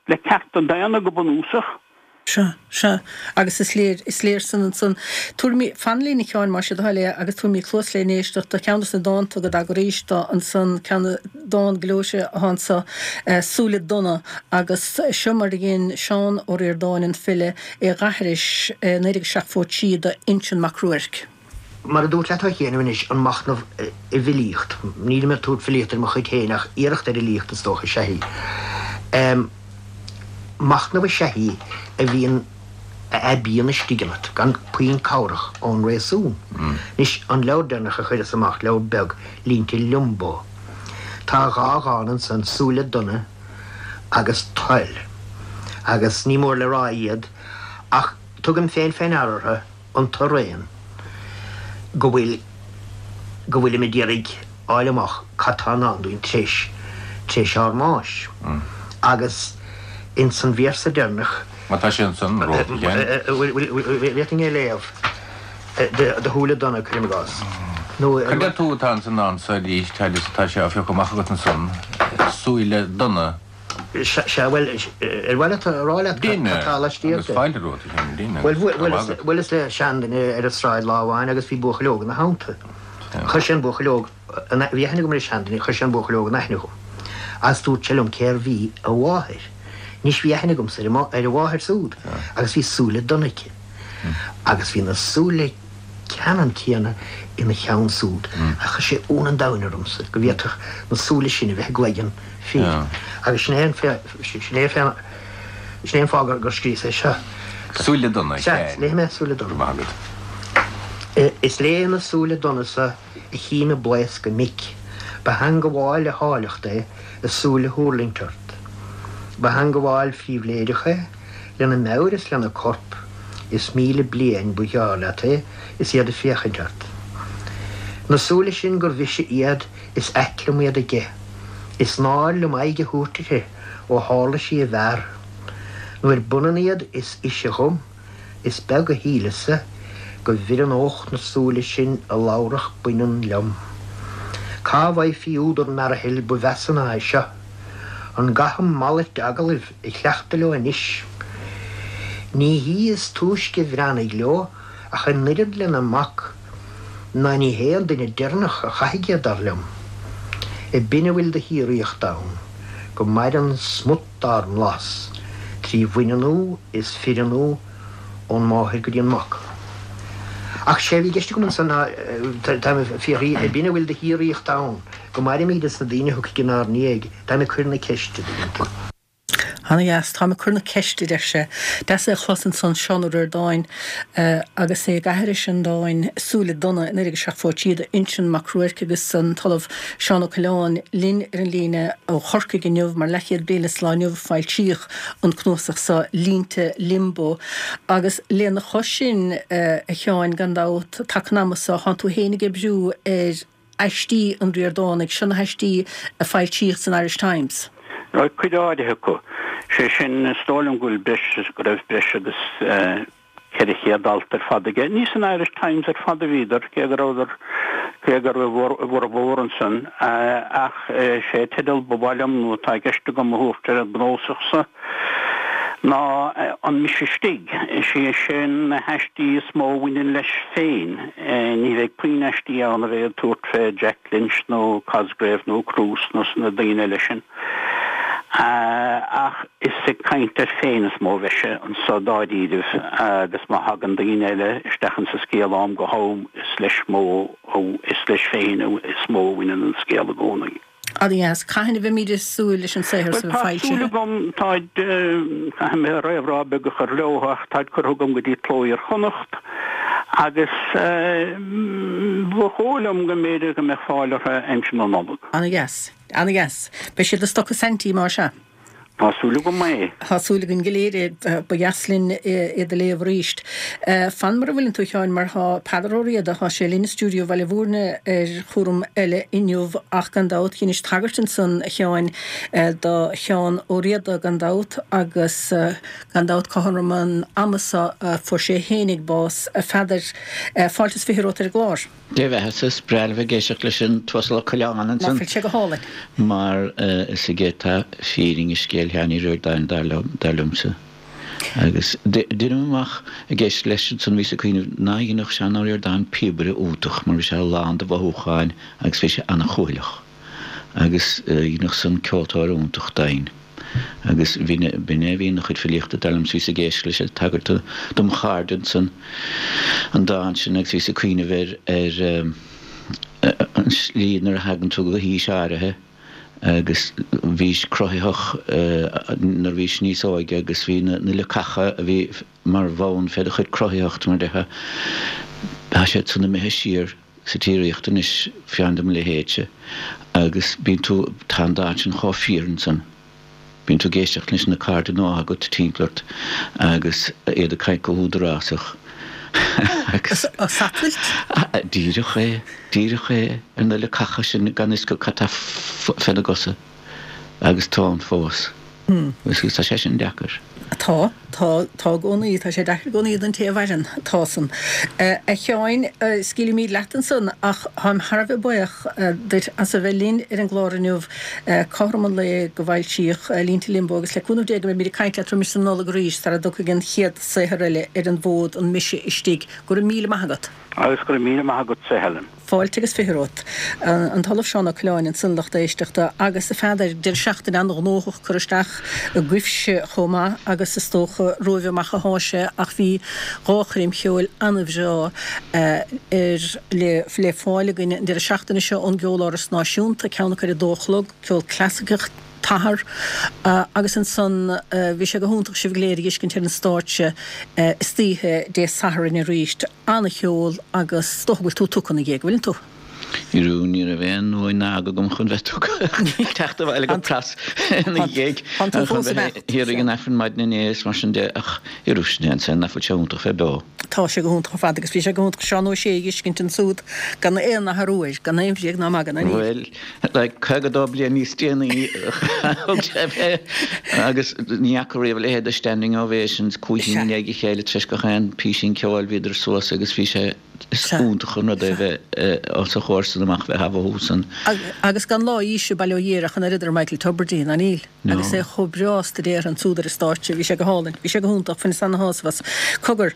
le cearta daonna go bunúsach. Sea, sea. Agus is léir, is léir san ansan. Tabharfaimid, fan linn a Sheáin, más é do thoil é, agus tabharfaimid cluas le n-éisteacht do cheann de na dánta go dtaga arís do ansan, ceann, dán gleoite atá anso, Súile Donna, agus seo mar a dhein Seán Ó Ríordáin, an file, é dh'aithris i naoi déag seachtó trí do Uinseann Mac Ruairc. Mar a dúirt leat a Sheáin anois, an machnamh i bhfilíocht, nílim ag tabhairt filíocht ar mo chuid féin ach iarracht ar fhilíocht is dócha is ea í. Machnamh is ea í a bhíonn, a aibíonn istigh ionat, gan puinn cabhrach ón réasún. Anois, an leabhar deireanach a chuireas amach, leabhar beag, Línte Liombó, tá dhá dhán ansan, Súile Donna agus Toil, agus ní mór le rá iad, ach tugaim féin fé ndeara orthu, iontu araon, go bhfuil, go bhfuilim ag iarraidh fháil amach cad tá i ndán dúinn tar éis, tar éis ár mbáis. Agus ins an véarsa deireanach. Má tá sé ansan, romhat, a Sheáin. Bhfuil, bhfuil, bhféadfainn é a léamh? Do shúile donna, cuirim i gcás. Nó. Cad deir tú atá ins an ndán so arís, agus tá sé á phiocadh amach agat ansan, súile donna. Sea, bhuel, ar mhaith leat a rá leat cad atá laistiar de? Agus fáilte romhat, a Sheáin, dinn agus go Bhuel, maith agat. bhuaileas le seanduine ar an sráid lá amháin agus bhí buachaill óg ina theannta. Chuir sé an buachaill óg, bhí aithne agam ar an seanduine, chuir sé an buachaill óg in aithne dhom agus dúirt sé liom cérbh í a mháthair. Anois bhí aithne agamsa ar a mháthair súd agus bhí súile donna aici agus bhí na súile ceannann céanna ina cheann súd. Ach chuir sé ionadh an domhain ormsa go bhféadfadh na súile sin a bheith i gcloigeann fir. Agus sin é an, sin é fé, Sin é an fáth gur scríos é seo. Súile Donna, Sea, léifidh mé Súile Donna. Go raibh maith agat. Is lé na súile donna so a chím ag blaoscadh mic. Ba theangabháil le háilleacht é a súil a thuirlingt ort. Ba theangabháil phribhléideach é, lena meabhair is lena corp, is míle bliain ba ghearr leat é is iad ag féachaint ort. Na súile sin gur mhise iad is ait liom iad aige. Is náir liom aghaidh a thabhairt uirthi ó tharla sí i bhfear. Nuair b'ionann iad is ise dhom, is beag a shíleas-sa go bhfireannódh na súile sin a labharfadh baineann liom. Cá bhfaighfí údar mearathaill ba mheasa ná é seo? An gcaithim malairt agallaimh a chleachtadh leo anois? Ní hí is túisce a bhreathnaigh leo ach an oiread lena mac, ná ní hé an duine deireanach a chaithfidh iad, dar liom. A b'in a bhfuil de shíoraíocht ann, go maireann smut dár mblas, trí bhaineannú is fireannú ón máthair go dtí an mac. Ach sé a bhí i gceist agam ansan ná, táim ag fiafraí, a b'in a bhfuil de shíoraíocht ann, go mairimid is na daoine a thiocfaidh inár ndiaidh, táim ag cur na ceiste, dtuigeann tú. Ana-dheas. Táim ag cur na ceiste, a deir sé. Deas é a chlos ansan, Seán Ó Ríordáin agus é ag aithris an dáin Súile Donna in Oiread Seacht Bhfóit Iad, Uinseann Mac Ruairc agus an tOllamh Seán Ó Coileáin linn ar an líne ó Chorcaigh inniu mar leathchéad bliain le sa lá inniu a foilsíodh an cnuasach seo, Línte Liombó. Agus lena chois sin, a Sheáin, gan dabht, taca an ama so, thánn tú féin ag oibriú ar aistí an Ríordánaigh, seo na haistí a foilsíodh san Irish Times. Bhuel, cuid áirithe acu. Sé sin, is dóigh liom go bhfuil breis, go raibh breis agus ceithre chéad alt ar fad aige. Ní san Irish Times ar fad a bhíodar, cé go rabhadar, cé go raibh a bhformhór ansan, ach sé teideal ba mhaith liom, nó atá i gceist agam a thabhairt ar an gcnuasach so, ná An Mise Istigh. Is é sin na haistí is mó a bhaineann leis féin. Ní bheidh puinn aistí ann a bheidh ag tabhairt fé Jack Lynch nó Cosgrave nó Cruise nó na daoine eile sin. Ach is ag caint air féin is mó a bheidh sé anso dáiríribh agus má thagann daoine eile isteach insa scéal ó am go ham is leis mó, is leis féin is mó a bhaineann an scéal i gcónaí. Ana-dheas. Cathain a bheimid ag súil leis an saothar Bhuel, so tá súil foilsithe? agam, táid, caithfidh mé réamhrá beag a chur leo ach táid curtha agam go dtí Cló Iar-Chonnacht agus ba dhóigh liom go mb'fhéidir go mbeadh fáil orthu aimsir na Nollag. Ana-dheas. Ana-dheas. Beidh siad i stoc i Saintí, más ea? Tá súil agam é. Tá súil againn go léir é. Ba dheas linn iad a léamh arís. Fan mar a bhfuileann tú, a Sheáin, mar tá Peadar Ó Riada, tá sé linn i stiúideo Bhaile Bhúirne ar chúram eile inniu ach gan dabht, dheinis tagairt ansan, a Sheáin, do Sheán Ó Riada gan dabht agus gan dabht cothrom an ama so a fuair sé fhéinig bás. A Pheadair, fáilte is fiche romhat ar an gclár. Dé bheatha-sa, is breá liom bheith ag éisteacht leis an tUasal Ó Coileáin Nach ansan bhfuil sé go hálainn? mar is aige atá fírinne scéal Sheáin Uí Ríordáin dar liom, dar liomsa. Agus deinim amach ag éisteacht leis ansan bhíos ag cuimhneamh ná dhéanfadh Seán Ó Ríordáin píobaire iontach mar bhí sé lán de mhothúcháin agus bhí sé ana-chúthaileach. Agus dhéanfadh san ceoltóir iontach dínn. Agus b'in é a bhí ina chuid filíochta, dar liom, bhíos ag éisteacht leis ag tagairt dom chairde ansan, an dán sin agus bhíos ag cuimhneamh ar ar an slí nuair a thagann tú go haois áirithe agus bhís cruthaitheach nuair a bhís níos óige agus bhí na leacacha a bhí mar bhonn fé do chuid cruthaitheachta mar a déarfá, tá siad san imithe siar sa tsíoraíocht anois, fiú do mo leithéidse, agus bíonn tú, tá an dán sin chomh fíor ansan. Bíonn tú ag éisteacht leis na cairde nua agat timpeall ort agus iad ag caint go húdarásach agus. Ag satailt? Díreach é, díreach é, ar na leacacha sin gan fhios acu cad tá féna gcosa agus tá ann fós. Agus tá sé sin deacair. Tá, tá, tá i gcónaí, tá sé deacair i gcónaí don té a mhaireann, tá san. A Sheáin, scaoilfimid leat ansan ach táim thar a bheith buíoch duit as a bheith linn ar an gclár inniu, cothrom an lae go bhfoilsíodh Línte Liombó agus le cúnamh Dé go mbeimid ag caint leat roimis an Nollaig arís sara dtiocfaidh an chéad saothar eile ar an bhfód, An Mise Istigh. Go raibh míle maith agat. Agus go raibh míle maith agatsa, a Helen. Fáilte agus fiche romhat. An tOllamh Seán Ó Coileáin ansan, lucht éisteachta, agus a Pheadair, deireadh seachtaine an-ghnóthach curtha isteach agaibhse chomh maith agus is dócha romhaibh amach athá sé ach bhí dhá choirm cheoil an-bhreá ar le le fáil againn an deireadh seachtaine seo ón gCeoláras Náisiúnta, ceann acu ar a dó a chlog, ceol clasaiceach, t-athair agus ansan bhí sé go hiontach sibh go léir a dh'fheiscint ar an stáitse istoíche Dé Sathairn arís. Ana-cheol agus is dócha go bhfuil tú tugtha ina dhiaidh, bhfuileann tú? Arú, ní raibh aon uain ná aga agam chun bheith tugtha teacht abhaile go pras ina dhiaidh chun bheith thiar ag an Aifreann maidin inné is mar sin de ach arú sin é an saol nach bhfuil sé iontach bheith beo. Tá sé go hiontach ar fad agus bhí sé go hiontach Seán Ó Sé a dh'fheiscint ansúd gan aon athrú air, gan aon bhréag ná magadh ná níl. Bhuel, like, caoga dó bliain níos déanaí thug sé fé agus ní fhaca riamh a leithéid de standing ovations, cúig thine i ndiaidh a chéile tar éis gach aon písín ceoil bhíodar suas agus bhí sé, is iontach an rud é bheith os a chomhair amach bheith á mhothú san. Agus gan lá aoise, bail ó Dhia air, ach an oiread ar Michael Tubridy, ná níl? Agus é chomh breá stuidéartha ansúd ar an stáitse, bhí sé go hálainn, bhí sé go hiontach, bhaineas ana-shásamh as. Cogar,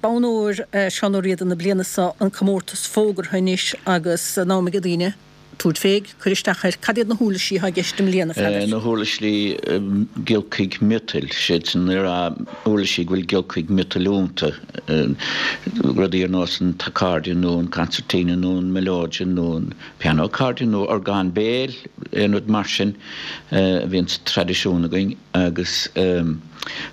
bonn óir Seán Ó Riada na bliana seo, an comórtas fógartha anois agus in am ag daoine tabhairt fé, cur isteach air. Cad iad na huirlisí atá i gceist i mbliana, a Pheadair? Na huirlisí giolcaigh miotail, siad sin uirlisí go bhfuil giolcaigh miotail iontu, rudaí ar nós an t-accordion nó an concertina nó an melodeon nó an piano accordion nó orgán béil, aon rud mar sin a bhíonn sa traidisiún againn agus.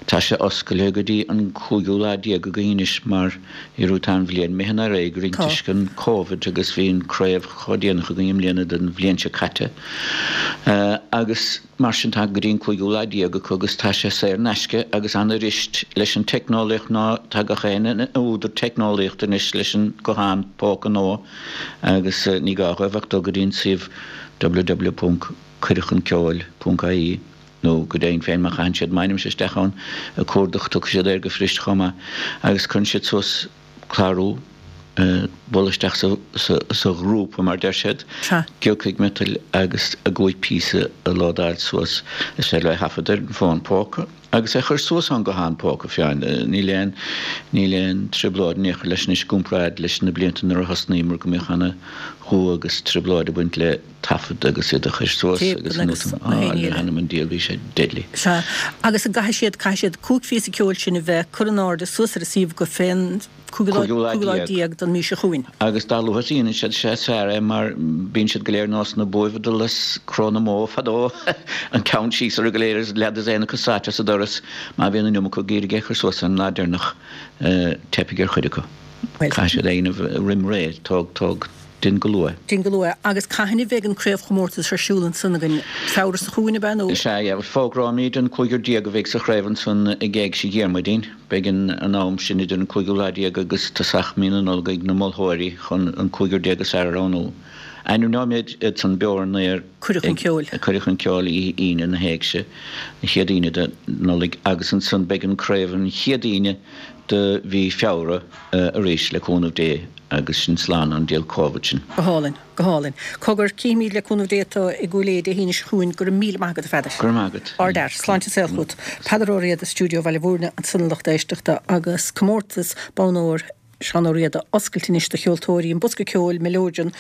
Tá sé oscailte go dtí an cúigiú lá déag againn anois mar arú tá an bhliain imithe ar aghaidh orainn toisc an Covid agus bhí an craobh chomh déanach againn i mbliana don bhliain seo caite agus mar sin tá go dtí an cúigiú lá déag acu agus tá sé saor in aisce agus an-fhuirist leis an teicneolaíocht ná tá gach éinne ina údar teicneolaíochta anois leis an guthán póca nua agus ní gá dhóibh ach dul go dtí an suíomh www ponc cuireadhchunceoil ponc ie. nó go deimhin féin má chaitheann siad m'ainmse isteach ann ag cuardach tiocfaidh siad air go fuirist chomh maith agus cuireann siad suas clárú bualadh isteach sa ghrúpa mar deir siad, giolcaigh miotail agus a gcúig píosa a lódáil suas is féidir leo é a thaifead ar an bhfón póca agus é a chur suas ón guthán póca fiáin. Níl aon níl aon trioblóid in aon chor leis anois i gcomparáid leis na blianta nuair a thosnaíomar go mbíodh ana dhua agus trioblóid ag baint le taifead agus iad a chur suas agus an le hanam an diabhail bhí sé deadly. Sea, agus an gcaithfidh siad, caithfidh siad cúig phíosa ceoil sin a bheith curtha in airde suas ar an suíomh acu fén cúigiú lá déag den mhí seo chugainn. Agus dá luaithe a dhéanann siad sé is fearr é mar bíonn siad go léir nós na buaibh ag dul as cró na mbó fadó, an ceann síos orthu go léir agus leath dosaen acu sáite sa doras má bhíonn an iomarca ag iarraidh é a chur suas an lá deireanach teipfidh ar chuid acu. Caithfidh siad é a dhéanamh roim ré, tóg, tóg. Déan go luath. Déan go luath. Agus cathain a bheidh an craobhchomórtas ar siúl ansan againn? Feabhra seo chugainn, ab ea, nó? Is ea, fógróimid an cúigear déag a bheidh sa chraobh ansan ag Éigse Dhiarmuidín. Beidh an am sin idir an cúigiú lá déag agus tosach mí na Nollag ag na moltóirí chun an cúigear déag is fearr a roghnú. Ainmneoimid iad san beo ar an aer Cuireadh chun Ceoil. ag Cuireadh chun Ceoil oíche Aoine na hÉigse, an chéad Aoine de Nollaig, agus ansan beidh an craobh an chéad Aoine de mhí Feabhra arís, le cúnamh Dé. Agus sinn slán ón diabhal Covid sin. Go hálainn. Go hálainn. Cogar, cífimid le cúnamh Dé tú i gCúil Aodha Dé hAoine seo chugainn. Go raibh míle maith agat, a Pheadair. Go raibh maith agat. Ardfhear. Sláinte is saol chugat. Peadar Ó Riada, Stiúideo Bhaile Bhúirne, ansan a lucht éisteachta agus comórtas Bonn Óir Seán Ó Riada oscailte anois do cheoltóirí, an bosca ceoil, melodeon,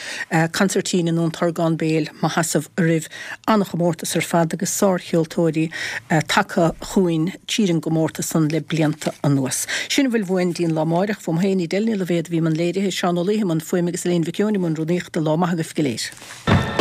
consairtín nó an t-orgán béil má sheasamh oraibh. An-chomórtas ar fad agus sárcheoltóirí tagtha chugainn tríd an gcomórtas san le blianta anuas. Sin a bhfuil uainn dtí'n lá amáireach. Fúm féin, Edel Ní Loibhéad a bhí i mbun léirithe, Seán Ó Laoithe i mbun fuaime agus Elaine Mhic Eoin i mbun rúnaíochta. Lá maith agaibh go léir.